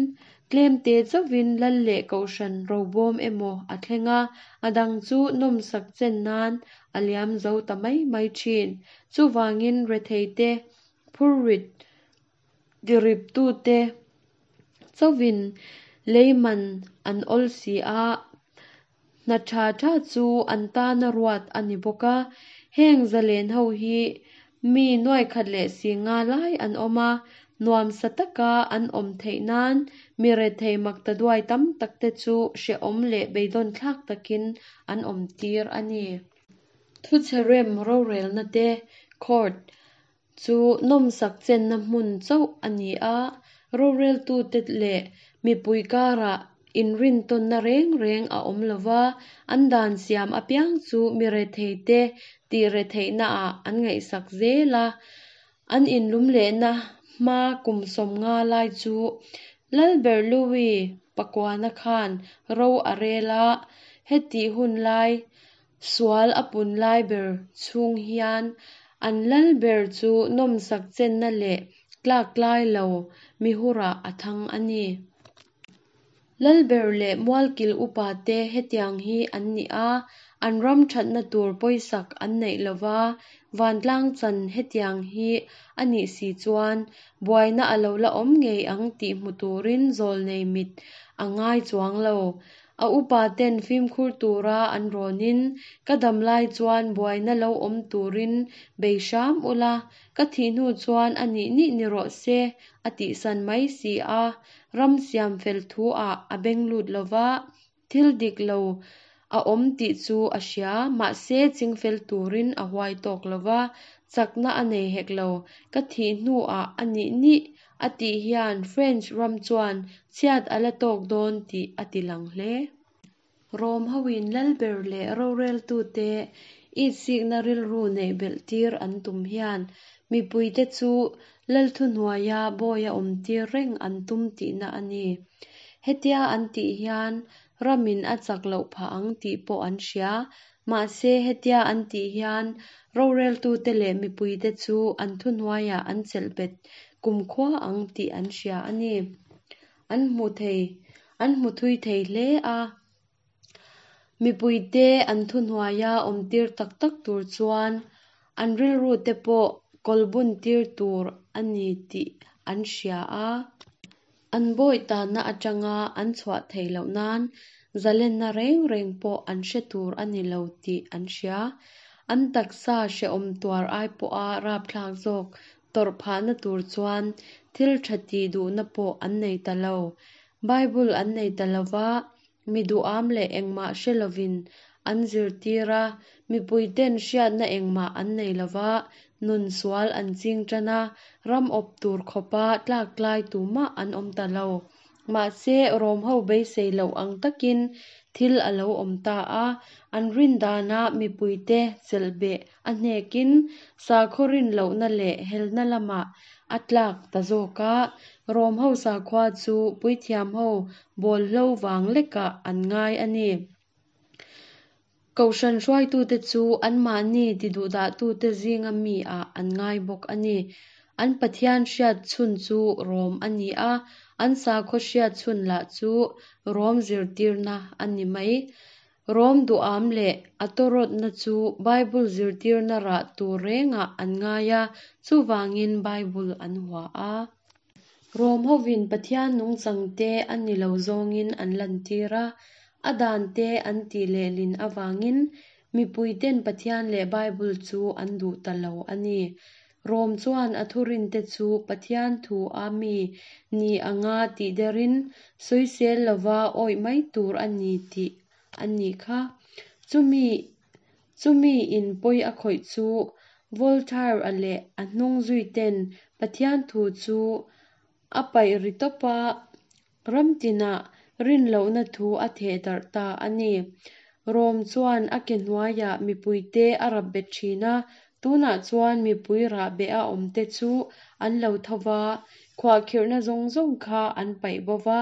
tlemte chauhin lal leh kohhran robawm emaw a thleng a, a dang chu nawmsak chen nan a liam zo ta mai mai thin. Chuvangin retheite phurrit tiriptute chauhin leiman an awl si a, hna tha tha chu an tana ruat a ni bawk a. Heng zalen ho hi mi nuai khat leh si nga lai an awm a, nuamsa taka an awm theih nan mi rethei makta duai tam tak te chu hrehawm leh beidawn thlak takin an awm tir a ni. Thuchhe rem rorelna te, court, chu nawmsak chenna hmun chauh a ni a, roreltute leh mipui karah Inrintawnna reng reng a awm lo va, an dan siam apiang chu mi retheite tih retheihnaah an ngaihsak zel a. An inlumlehna hma kum 50 lai chu Lalber Louis pakuana khan ro a rel a, hetih hun lai sual a pun lai ber chhung hian an lalber chu nawmsak chenna leh tlaktlai lo mihurah a thang a ni. Lalber leh mualkil upate hetiang hi an ni a, an ram thatna tur pawisak an neih lova, vantlang chan hetiang hi a nih si chuan buaina a lo la awm ngei ang tih hmu turin zawlnei mit a ngai chuang lo. A upaten fimkhur tura an rawnin, Ka dam lai chuan buaina lo awm turin bei hram ula, ka thih hnu chuan a nih nih ni rawh se, a tihsan mai si a. Ram siam fel thu ah a beng lut lo va, thil dik lo a awm tih chu a hria, mahse chingfel turin a huai tawk lo va, chakna a nei hek lo. Ka thih hnu ah a nih nih a tih hian French ram chuan chhiat a la tawk dawn tih a ti lang hle. Rom hoin lalber leh roreltute itsikna rilru neih belh tir an tum hian mipuite chu lal thuhnuaia bawia awmtir reng an tum tihna a ni. Hetia an tih hian ramin a chak loh phah ang tih pawh an hria. Mahse, hetia an tih hian roreltute leh mipuite chu an thuhnuaiah an chelh bet kumkhua ang tih an hria a ni. An hmu thei, an hmu thui thei hle a. Mipuite an thuhnuaia awmtir tak tak tur chuan an rilrute pawh kawlbuntir tur a ni tih an hria a. An bawih tanna atanga an chhuah theih loh nan zalenna reng reng pawh an hre tur a ni lo tih an hria. An taksa hrehawm tuar ai pawha rapthlak zawk tawrh phahna tur chuan thil tha tih duhna pawh an nei ta lo. Bible an nei ta lo va, mi duham leh engmah hre lovin an zirtir a, mipuiten hriatna engmah an nei lo va, nun sual an ching tan a, ram awp tur khawpa tlaktlai tumah an awm ta lo. Mahse, Rom ho beisei loh ang takin thil a lo awm ta a, an rin dana mipuite chelhbeh a hnekin sakhaw rin lohna leh helna lamah a tlak ta zawk a, Rom ho sakhua chu puithiam ho bawlhlo vang lekah an ngai a ni. Kohhran hruaitute chu anmahni tiduhdahtute zinga mi ah an ngai bawk a ni. An Pathian hriat chhun chu Rom a ni a, an sakhaw hriat chhun lah chu Rom zirtirna a ni mai. Rom duham leh a tawrawtna chu Bible zirtirna rah tur rengah an ngai a, chuvangin Bible an hua a. Rom hovin Pathian nungchangte a ni lo zawngin an lantir a, a dante an tih lehlin avangin mipuiten Pathian leh Bible chu an duh ta lo a ni. Rom chuan a thurinte chu Pathian thu a mi ni anga tih derin sawisel lova awih mai tur a ni tih a nih kha. Chumi chumi in pawi a khawih chu Voltaire-a leh a hnung zuiten Pathian thu chu a paih ri tawp a, ram tinah rin lohna thu a theh darh ta a ni. Rom chuan a ke hnuaiah mipuite a rap bet thin a, tunah chuan mipui rahbeh a awmte chu an lo tho va, khuahkhirhna zawng zawng kha an paih bo va.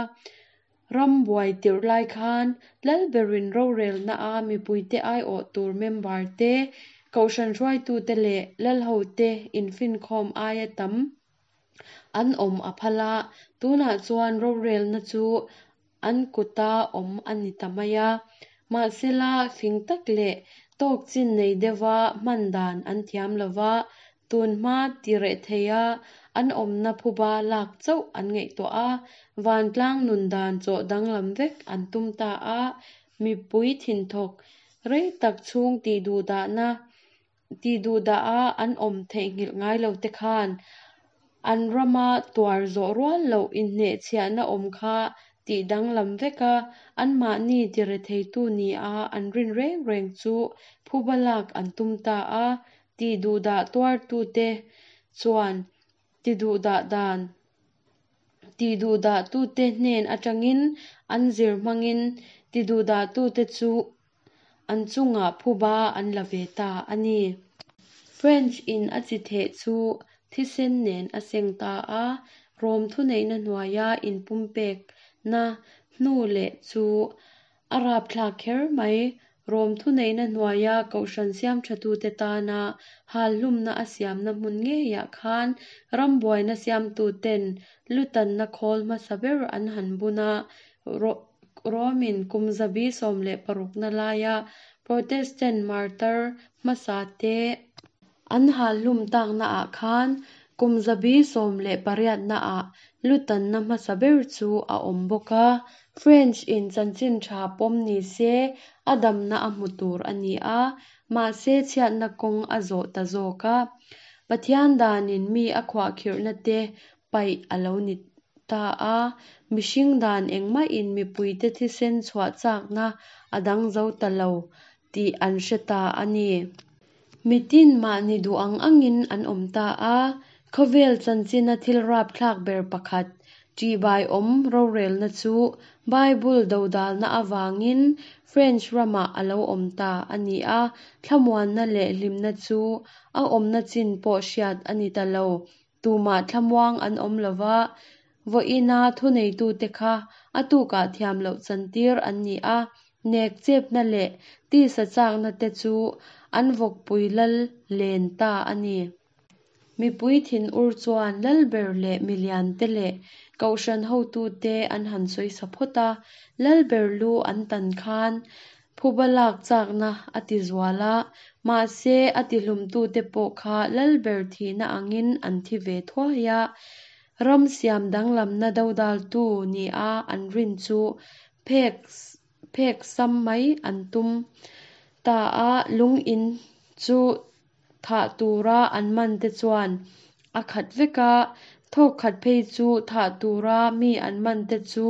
Ram buai tirh lai khan Lalberin rorelna a mipuite aiawh tur member te, kohhran hruaitute leh lalhote infinkhawm aia tam an awm a phal a, tunah chuan rorelna chu an kuta awm a ni ta mai a. Mahsela, fing tak leh tawk chin nei deuha hman dan an thiam lo va, tun hma ti reh theia an awmna phuba lak chauh an ngaihtuah a, vantlang nun dan chawh danglam vek an tum ta a, mipui thinthawk rei tak chhung tihduhdahna tihduhdaha an awm theihnghilh ngai lo te khan an rama tuar zawh rual loh inhnehchhiahna awm kha tih danglam vek a, anmahni tiretheitu nia an rin reng reng chu phuba lak an tum ta a, tihduhdah tuartute chuan tiduhdah dan. Tiduhdahtute hnen atangin an zir hmangin tiduhdahtute chu an chungah phuba an la ve ta a ni. French in a chi theh chu thisen nen a seng ta a, Rom thuneihna hnuaia inpumpekna hnu leh chu a rapthlak kher mai. Rom thuneihna hnuaia kohhran siamthatute tana halhlumna a siamna hmun ngeiah khan rambuaina siamtuten lutanna khawl hmasa ber an han bun a. Romin kum zabi 16na laia Protestant martar hmasate an halhlum taknaah khan kum zabi 18naah lutanna hmasa ber chu a awm bawk a. French in chanchin tha pawm ni se a damna a hmu tur a ni a, mahse chhiatna kawng a zawh ta zawk a. Pathian danin mi a khuahkhirhna te paih a lo ni ta a, mihring dan engmahin mipuite thisen chhuah chakna a dang zo ta lo tih an hre ta a ni. Mitin mahni duh ang angin an awm ta a, khawvel chanchina thil rapthlak ber pakhat, ṭihbaiawm rorelna chu Bible dodalna avangin French ramah a lo awm ta a ni a, thlamuanna leh hlimna chu a awmna chin pawh hriat a ni ta lo. Tumah thlamuang an awm lo va, vawiina thuneitute kha a tukah thiam loh chantir an ni a, nek chepna leh tisa chakna te chu an vawkpui lal len ta a ni. Mipui thinur chuan lalber leh miliante leh kohhran hotute an han sawisa phawt a, lalber lu an tan khan phuba lak chakna a ti zual a, mahse a tihlumtute pawh kha lalber thihna angin an thi ve thuai a, ram siam danglamna dodaltu nia an rin chu phek phek sam mai an tum ta a, lung in chu thah tura an man te chuan a khat vek a, thawk khat phei chu thah tura mi an man te chu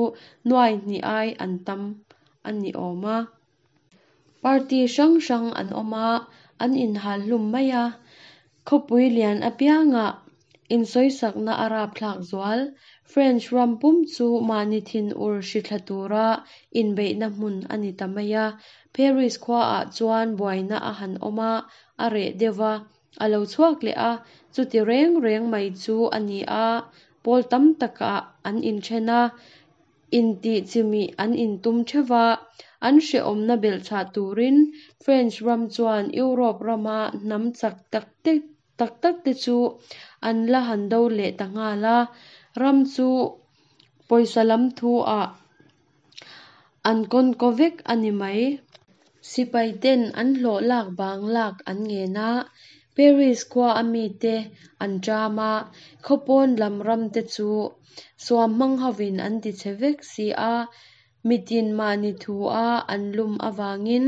nuai hnih ai an tam a ni awm a. Party hrang hrang an awm a, an inhal hlum mai a, khawpui lian apiangah insawisakna a rapthlak zual. French ram pum chu mahni thinur hrithla tura inbeihna hmun a ni ta mai a. Paris khuaah chuan buaina a han awm a, a reh deuh va, a lo chhuak leh a, chuti reng reng mai chu a ni a, pawl tam takah an inthen a, intih chimih an intum theuh va, an hrehawmna belhchhah turin French ram chuan Europe rama hnam chak tak tak tak te chu an la han do leh ta nghal a, ram chu pawisa lam thu ah an kawnkaw vek a ni mai. Sipai ten an hlawh lak bang lak an ngen a, Paris khua a mite an ṭam a, khawpawn lam ram te chu suam hmang hovin an ti chhe vek si a, mitin mahni thu a an lum avangin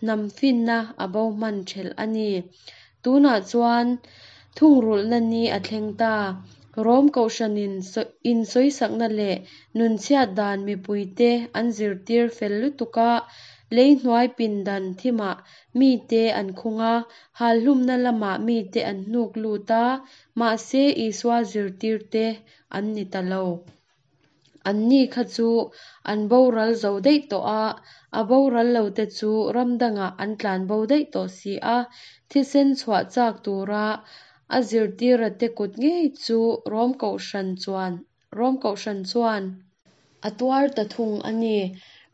hnam finna a bo hman ṭhelh a ni. Tunah chuan thungrulhna ni a thleng ta. Rom kohhranin insawisakna leh nunchhiat dan mipuite an zirtir fel lutuk a, lei hnuai pindan thimah mite an khung a, halhlumna lamah mite an hnuk lut a, mahse Isua zirtirte an ni ta lo. Anni kha chu an boral zo daih tawh a, a boral lote chu ram dangah an tlan bo daih tawh si a, thisen chhuah chak tura a zirtirate kut ngei chu Rom kohhran chuan Rom kohhran chuan a tuar ta thung a ni.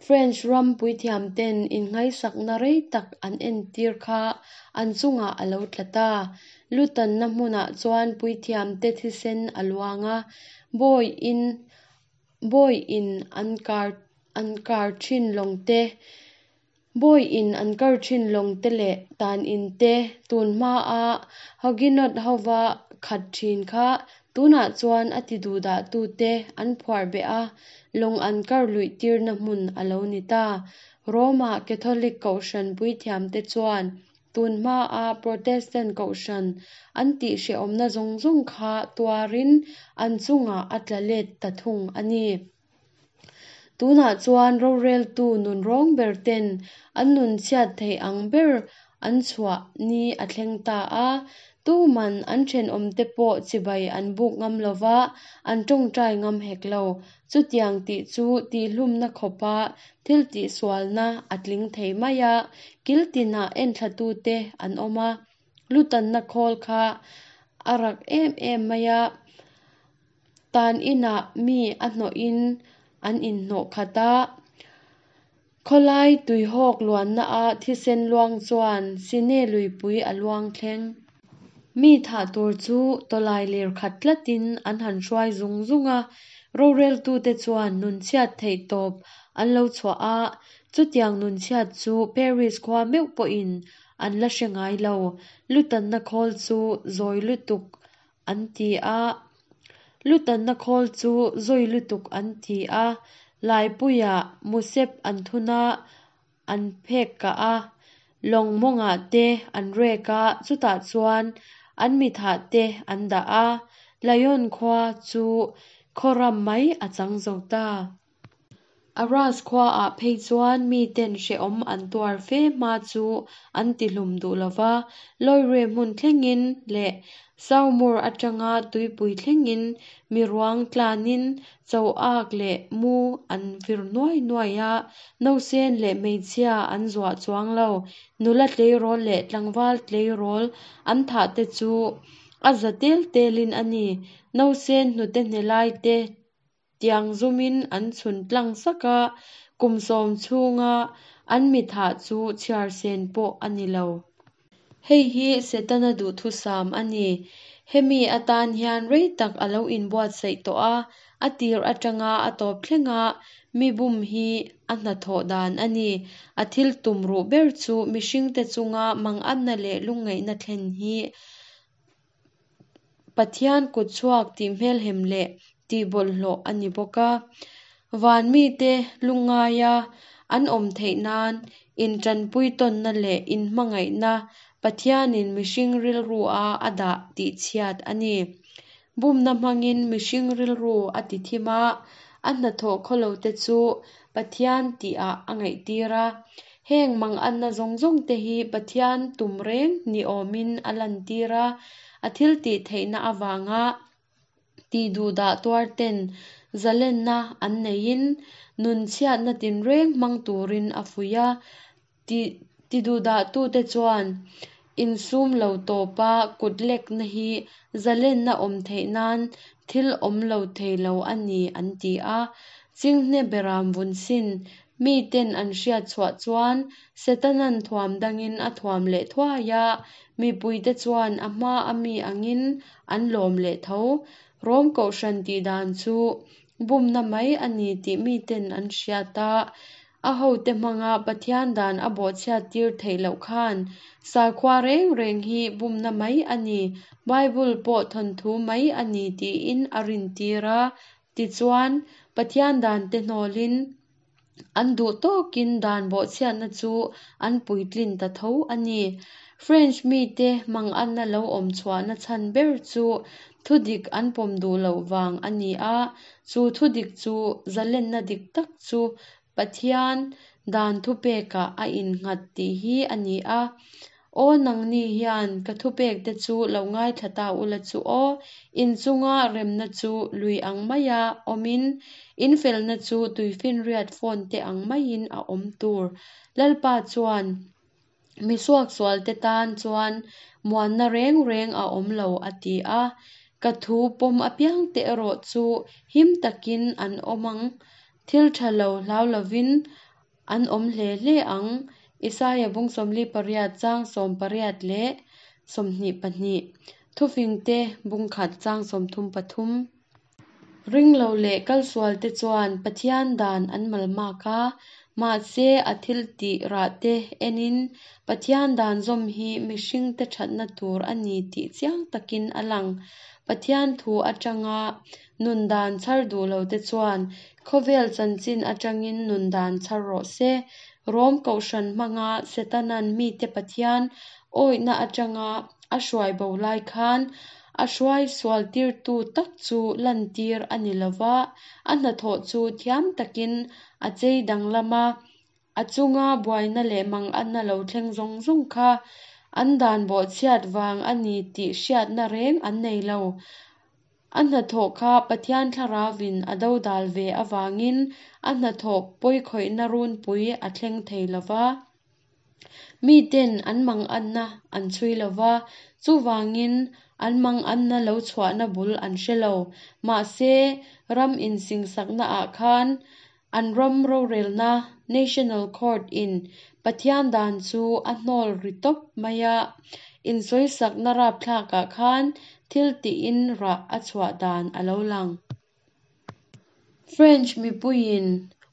French ram puithiamten innghaisakna rei tak an entir kha an chungah a lo tla ta. Lutanna hmunah chuan puithiamte thisen a luang a, bawi in bawi in an kar an kar thin lawng te, bawi in an kar thin lawng te leh tan in te tun hma a Huguenot hova khat thin kha tunah chuan a ti duhdah tute an phuar beh a, lawng an kar luih tirna hmun a lo ni ta. Rome-a Catholic kohhran puithiamte chuan tun hma a Protestant kohhran an tih hrehawmna zawng zawng kha tuarin an chungah a tla let ta thung a ni. Tunah chuan roreltu nun rawng ber ten an nun chhiat theih ang ber an chhuah ni a thleng ta a. Tuman an thenawmte pawh chibai an buk ngam lo va, an tawngtai ngam hek lo. Chutiang tih chu tihhlumna khawpa thil tihsualna a tling thei mai a, kil tinah enthlatute an awm a. Lutanna khawl kha a rak em em mai a, tan inah mi a hnawhin an inhnawh khat a. Khawlai tuihawk luanna a thisen luang chuan Sine luipui a luang thleng. Mi thah tur chu tawlai lir khat tlatin an han hruai zung zung a, roreltute chuan nunchhiat theih tawp an lo chhuah a, chutiang nunchhiat chu Paris khua meuh pawhin an la hre ngai lo. Lutanna khawl chu zawi lutuk an ti a. Lutanna khawl chu zawi lutuk an ti a. Laipuiah musep an thun a, an phek kah a, lawng mawngah te an rek a, chutah chuan an mithah te an dah a. Lyon khua chu khaw ram mai a chang zo ta. Arras khuaah phei chuan miten hrehawm an tuar fe hma chu an tihlum duh lo va, Loire hmun thlengin leh Saumur atanga tuipui thlengin mi ruang tlanin choak leh mu an vir nuai nuai a, nausen leh hmeichhia an zuah chuang lo. Nula tleirawl leh tlangval tleirawl an thah te chu a za tel telin a ni. Nausen hnute hne lai te Tiang zumin an chhun tlang sak a, kum sawm chhunga an mi thah chu chhiar sen pawh a ni lo. Hei hi Setana duhthusam a ni. Hemi atan hian rei tak a lo inbuatsaih tawh a, a tir atanga a tawp thlenga mi bum hi a hnathawh dan a ni. A thil tum ruh ber chu mihringte chunga manganna leh lungngaihna thlen hi Pathian kut chhuak tih hmelhem leh tih bawlhhlawh a ni bawk a. Van mite lungngaia an awm theih nan intanpui tawnna leh inhmangaihna Pathianin mihring rilrua a dah tih chhiat a ni. Bumna hmangin mihring rilru a ti thim a, a hnathawh khawlote chu Pathian tihah a ngaihtir a. Heng manganna zawng zawng te hi Pathian tum reng ni awmin a lantir a, a thil tih theihna avanga tih duhdah tuar ten zalenna an neihin nun chhiatna tinreng hmang turin a fuih a. Ti duhdahtute chuan insum lo tawpa kut lekna hi zalenna awm theih nan thil awm lo thei lo a ni an ti a. Chinghne beram vun sin miten an hriat chhuah chuan Setanan thuam dangin a thuam leh thuai a, mipuite chuan a hma a mi angin an lawm leh tho. Rom Kohhran tihdan chu bumna mai a ni tih miten an hriat a, A hote hmanga Pathian dan a bawhchhiat tir theih loh khan sakhua reng reng hi bumna mai a ni, Bible pawh thawnthu mai a ni tiin a rintir a. Tichuan, Pathian dante hnawlin an duh tawkin dan bawhchhiatna chu an puitlin ta tho a ni. French mite manganna lo awm chhuahna chhan ber chu thudik an pawm duh loh vang a ni a, chu thudik chu zalenna dik tak chu Pathian dan thupekah a innghat tih hi a ni a. Aw nangni hian ka thupekte chu lo ngaithla ta ula chu aw, in chunga remna chu lui ang maia awmin, in felna chu tuifinriat phone te ang maiin a awm tur. Lalpa chuan Mi suaksualte tan chuan muanna reng reng a awm lo, a ti a. Ka thu pawm apiangte erawh chu him takin an awm ang, thil tha lo hlau lovin an awm hle hle ang, Isaia bung 48 chang 18 leh 22, Thufingte bung khat chang 33. Ringlo leh kalsualte chuan Pathian dan an malmak a, mahse a thil tih rahte enin Pathian dan zawm hi mihringte thatna tur a ni tih chiang takin a lang. Pathian thu atanga nun dan chhar duh lote chuan khawvel chanchin atangin nun dan chhar rawh se. Rom Kohhran hmanga Setanan mite Pathian awihna atanga a hruai bo lai khan A hruai sualtirtu tak chu lantir a ni lo va, a hnathawh chu thiam takin a chei danglam a, a chunga buaina leh manganna lo thleng zawng zawng kha An dan bawhchhiat vang a ni tih hriatna reng an nei lo. A hnathawh kha Pathian Thlarauvin a dodal ve avangin a hnathawh pawikhawihna runpui a thleng thei lo va. Miten an manganna an chhui lo va, chuvangin an manganna lo chhuahna bul an hre lo. Mahse, ram insingsaknaah khan an ram rorelna, National Court, in Pathian dan chu a hnawl ri tawp mai a, insawisakna rapthlakah khan thil tihin rah a chhuah dan a lo lang. French mipuiin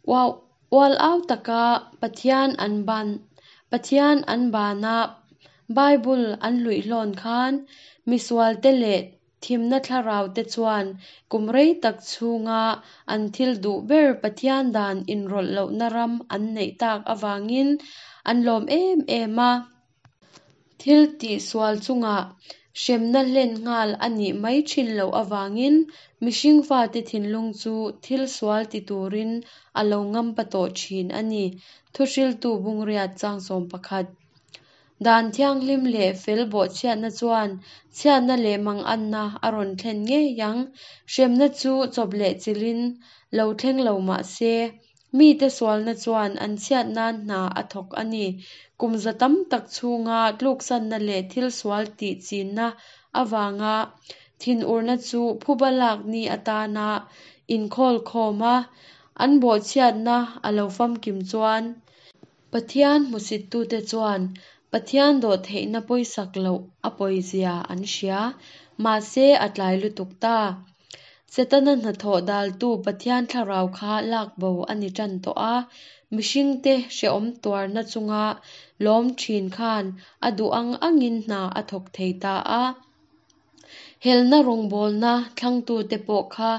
ual au taka Pathian an ban Pathian an bana Bible an hluihlawn khan misualte leh thimna thlaraute chuan kum rei tak chhunga an thil duh ber Pathian dan inrawlh lohna ram an neih tak avangin an lawm em em a. Thil tih sual chungah hremna hlen nghal a nih mai thin loh avangin mihring fate thinlung chu thil sual ti turin a lo ngampa tawh thin a ni, Thuhriltu Bungriat chang 11. Dan thianghlim leh fel bawhchhiatna chuan chhiatna leh manganna a rawn thlen ngei ang. Hremna chu chawp leh chilhin lo thleng lo mah se, Mite sualna chuan an chhiat nan hna a thawk a ni. Kum za tam tak chhunga tluksanna leh thil sual tih chinna avanga thinurna chu phuba lak ni atana inkhawl khawm a, an bawhchhiatna a lo famkim chuan, Pathian hmusittute chuan Pathian dawhtheihna pawisak loh a pawizia an hria, mahse a tlai lutuk ta. Setana hnathawh daltu Pathian thlarau kha lak bo a ni tan tawh a, mihringte hrehawm tuarna chunga lawm thin khan a duh ang angin hna a thawk thei ta a. Helna rawngbawlna thlangtute pawh kha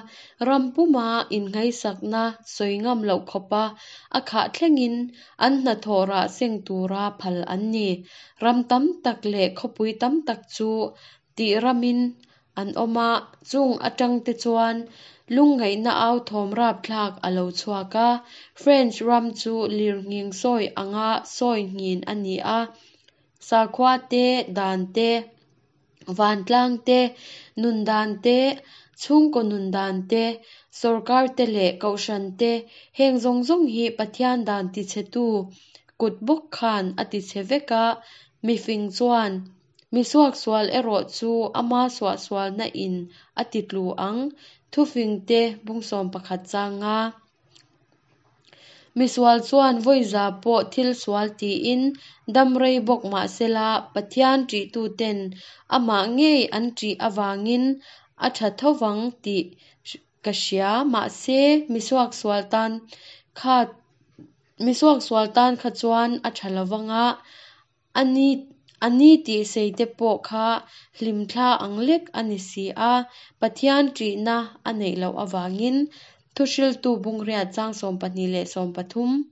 ram puma innghaisakna sawi ngam loh khawpa a khah thlengin an hnathawh rah seng tura phal an ni. Ram tam tak leh khawpui tam tak chu tih ramin an awm a, chung atangte chuan lungngaihna au thawm rapthlak a lo chhuak a. French ram chu lirnghing sawi anga sawi nghin a ni a, sakhua te, dan te, vantlang te, nun dan te, chhungkaw nun dan te, sawrkar te leh kohhran te, heng zawng zawng hi Pathian dan tichhetu kut bawk khan a tichhe vek a, mifing chuan Mi suaksual erawh chu ama suahsualna in a ti tlu ang, thufingte bung 11 chang a. Misual chuan vawiza pawh thil sual tiin dam rei bawk mahsela Pathian ṭihtuten amah ngei an ṭih avangin a ṭha tho vang tih ka hria, mahse mi suaksual tan kha mi suaksual tan kha chuan a ṭha lovang a, A ni, a ni tih sei te pawh kha hlimthla ang lek a ni si a, Pathian ṭihna a neih loh avangin Thuhriltu Bungriat chang 12 leh 13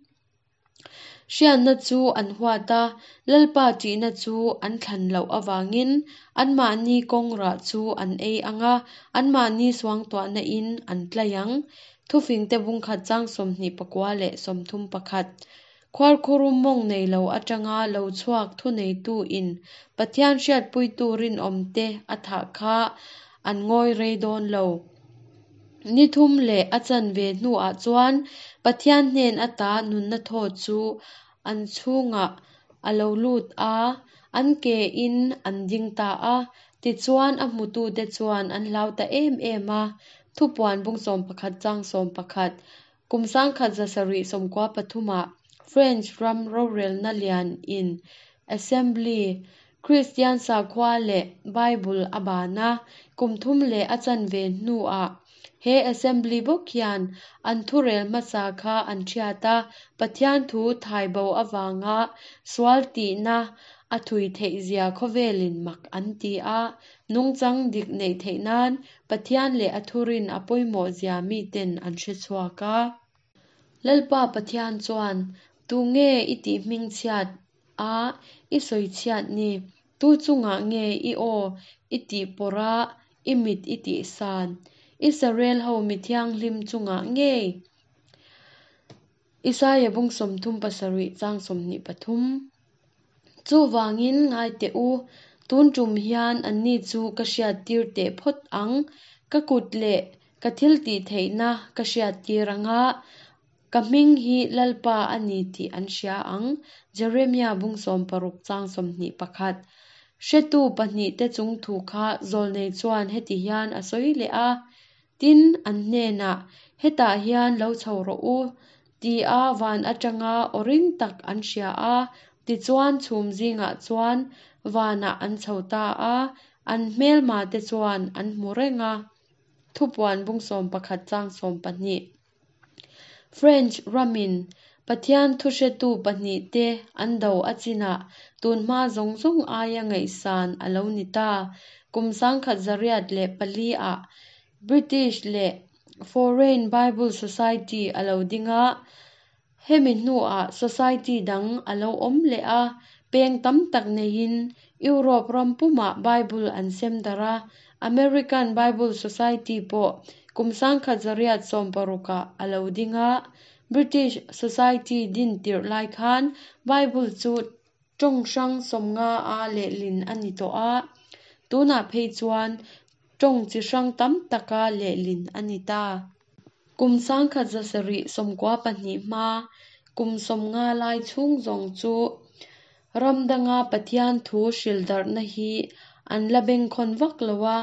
hriatna chu an huat a, Lalpa ṭihna chu an thlan loh avangin anmahni kawng rah chu an ei ang a, anmahni suangtuahna in an tlai ang. Thufingte Bungkhat chang 29 leh 31. Khuarkhurum mawng nei lo atanga lo chhuak thuneitu in Pathian hriatpuitu rinawmte a thah kha an ngawi rei dawn lo. Ni thum leh a chanve hnuah chuan Pathian hnen ata nunna thaw chu an chhungah a lo lut a, an ke in an ding ta a. Tichuan a hmutute chuan an hlau ta em em a. Thupuan bung 11 chang 11. Kum 1793 ah French ram rorelna lian in, Assembly, Kristian sakhua leh Bible a ban a, kum thum leh a chanve hnuah he Assembly bawk hian an thurel hmasa kha an thiat a, Pathian thu thaibo avanga sual tihna a thui theihzia khawvelin mak an ti a, nungchang dik neih theih nan Pathian leh a thurin a pawimawhzia miten an hre chhuak a. Lalpa Pathian chuan, Tunge i tih hmingchhiat a, i sawichhiat ni? Tu chungah nge i aw i tih pawrh a, i mit i tih san? Israel ho mi thianghlim chungah ngei? Isaia bung 37 chang 23. Chuvangin ngai teh u, tun tum hian anni chu ka hriattir teh phawt ang, ka kut leh ka thiltihtheihna ka hriattir ang a, ka hming hi Lalpa a ni tih an hria ang. Jeremia bung 60 chang 21. Hretu pahnihte chung thu kha zawlnei chuan heti hian a sawi leh a, Tin, an hnenah, Hetah hian lo chho rawh u, tia van atanga aw ring tak an hria a. Tichuan chhum zingah chuan vanah an chho ta a, an hmelma te chuan an hmu reng a. Thupuan bung 11 chang 12. French ramin Pathian thuhretu pahnihte an do a chinah tunhma zawng zawng aia ngaihsan a lo ni ta. Kum 1804 ah British leh Foreign Bible Society a lo ding a, hemi hnuah society dang a lo awm leh a, peng tam tak neiin Europe ram pumah Bible an sem darh a, American Bible Society pawh kum 1860 ah a lo ding a, British Society din tirh lai khan Bible chu tawng hrang 50 a lehlin a ni tawh a, tunah phei chuan tawng chi hrang tam taka lehlin a ni ta. Kum 1792 hma kum 50 lai chhung zawng chu ram danga Pathian thu hril darhna hi an la bengkhawn vak lo a,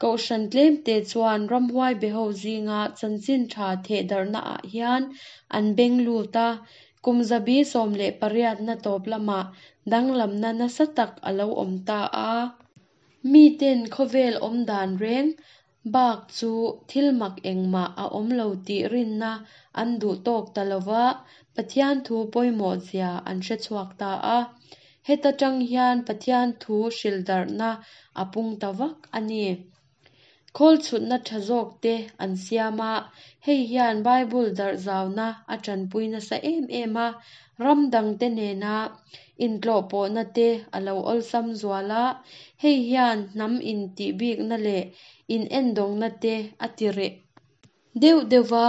kohhran tlemte chuan ramhuai beho zinga chanchin tha theh darhnaah hian an beng lut a, kum zabi 18 na tawp lamah danglamna nasa tak a lo awm ta a. Miten khawvel awm dan reng bak chu thil mak engmah a awm lo tih rinna an duh tawk ta lova, Pathian thu pawimawh zia an hre chhuak ta a. Heta tang hian Pathian thu hril darhna a pung ta vak a ni. Khawl chhutna tha zawk te an siam a, hei hian Bible darh zauna a tanpui nasa em em a, ram dangte nena intlawhpawhna te a lo awlsam zual a, hei hian hnam intih bikna leh inendawngna te a ti reh deuh deuh va,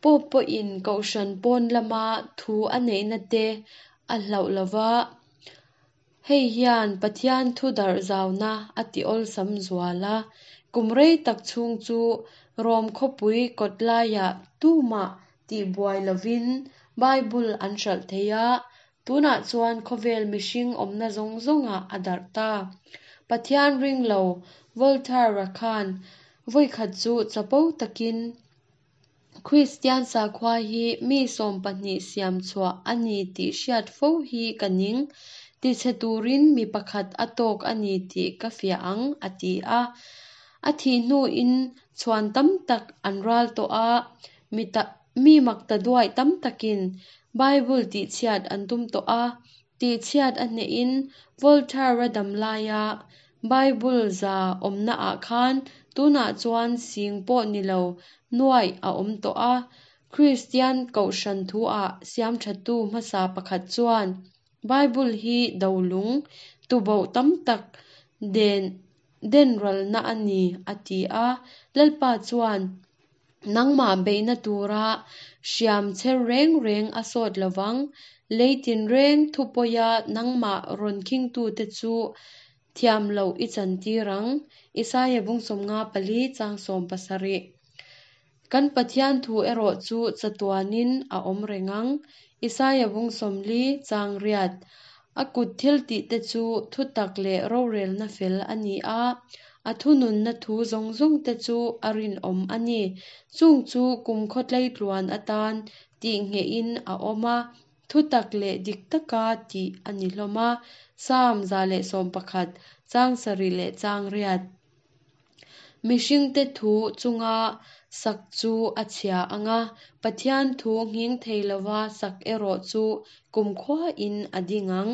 Pope pawhin kohhran pawn lama thu a neihna te a hlauh lova, hei hian Pathian thu darh zauna a ti awlsam zual a. Kum rei tak chhung chu Rom khawpui kawt laiah tumah tihbuai lovin Bible an hralh thei a, tunah chuan khawvel mihring awmna zawng zawngah a darh ta. Pathian ring lo Voltaire-a khan vawikhat chu chapo takin Kristian sakhua hi mi 12 siam chhuah a ni tih hriat fo hi ka ning, tichhe turin mi pakhat a tawk a ni tih ka fiah ang, a ti a. A thih hnuin chhuan tam tak an ral tawh a, mi maktaduaih tam takin Bible tihchhiat an tum tawh a, tihchhiat a hnehin Voltaire-a dam laia Bible za awmnaah khan tunah chuan sing pawh ni lo nuaih a awm tawh a. Kristian kohhran thuah siam thattu hmasa pakhat chuan Bible hi dolung tuboh tam tak den den ralna a ni, a ti a. Lalpa chuan nangmah beihna tura hriam chher reng reng a sawt lovang, lei tinreng thupawia nangmah rawn khingtute chu thiam loh i chantir ang. Isaia bung 54 chang 17. Kan Pathian thu erawh chu chatuanin a awm reng ang. Isaia bung 40 chang 8. A kut thil tihte chu thutak leh rorelna fel a ni a, a thununna thu zawng zawng te chu a rinawm a ni. Chung chu kum khawtlei tluan atan tih nghehin a awm a, thutak leh dik taka tih a ni hlawm a. Salm 111 chang 7 leh chang 8. Mihringte thu chunga sak chu a chhia ang a, Pathian thu nghing thei lova sak erawh chu kumkhuain a ding ang.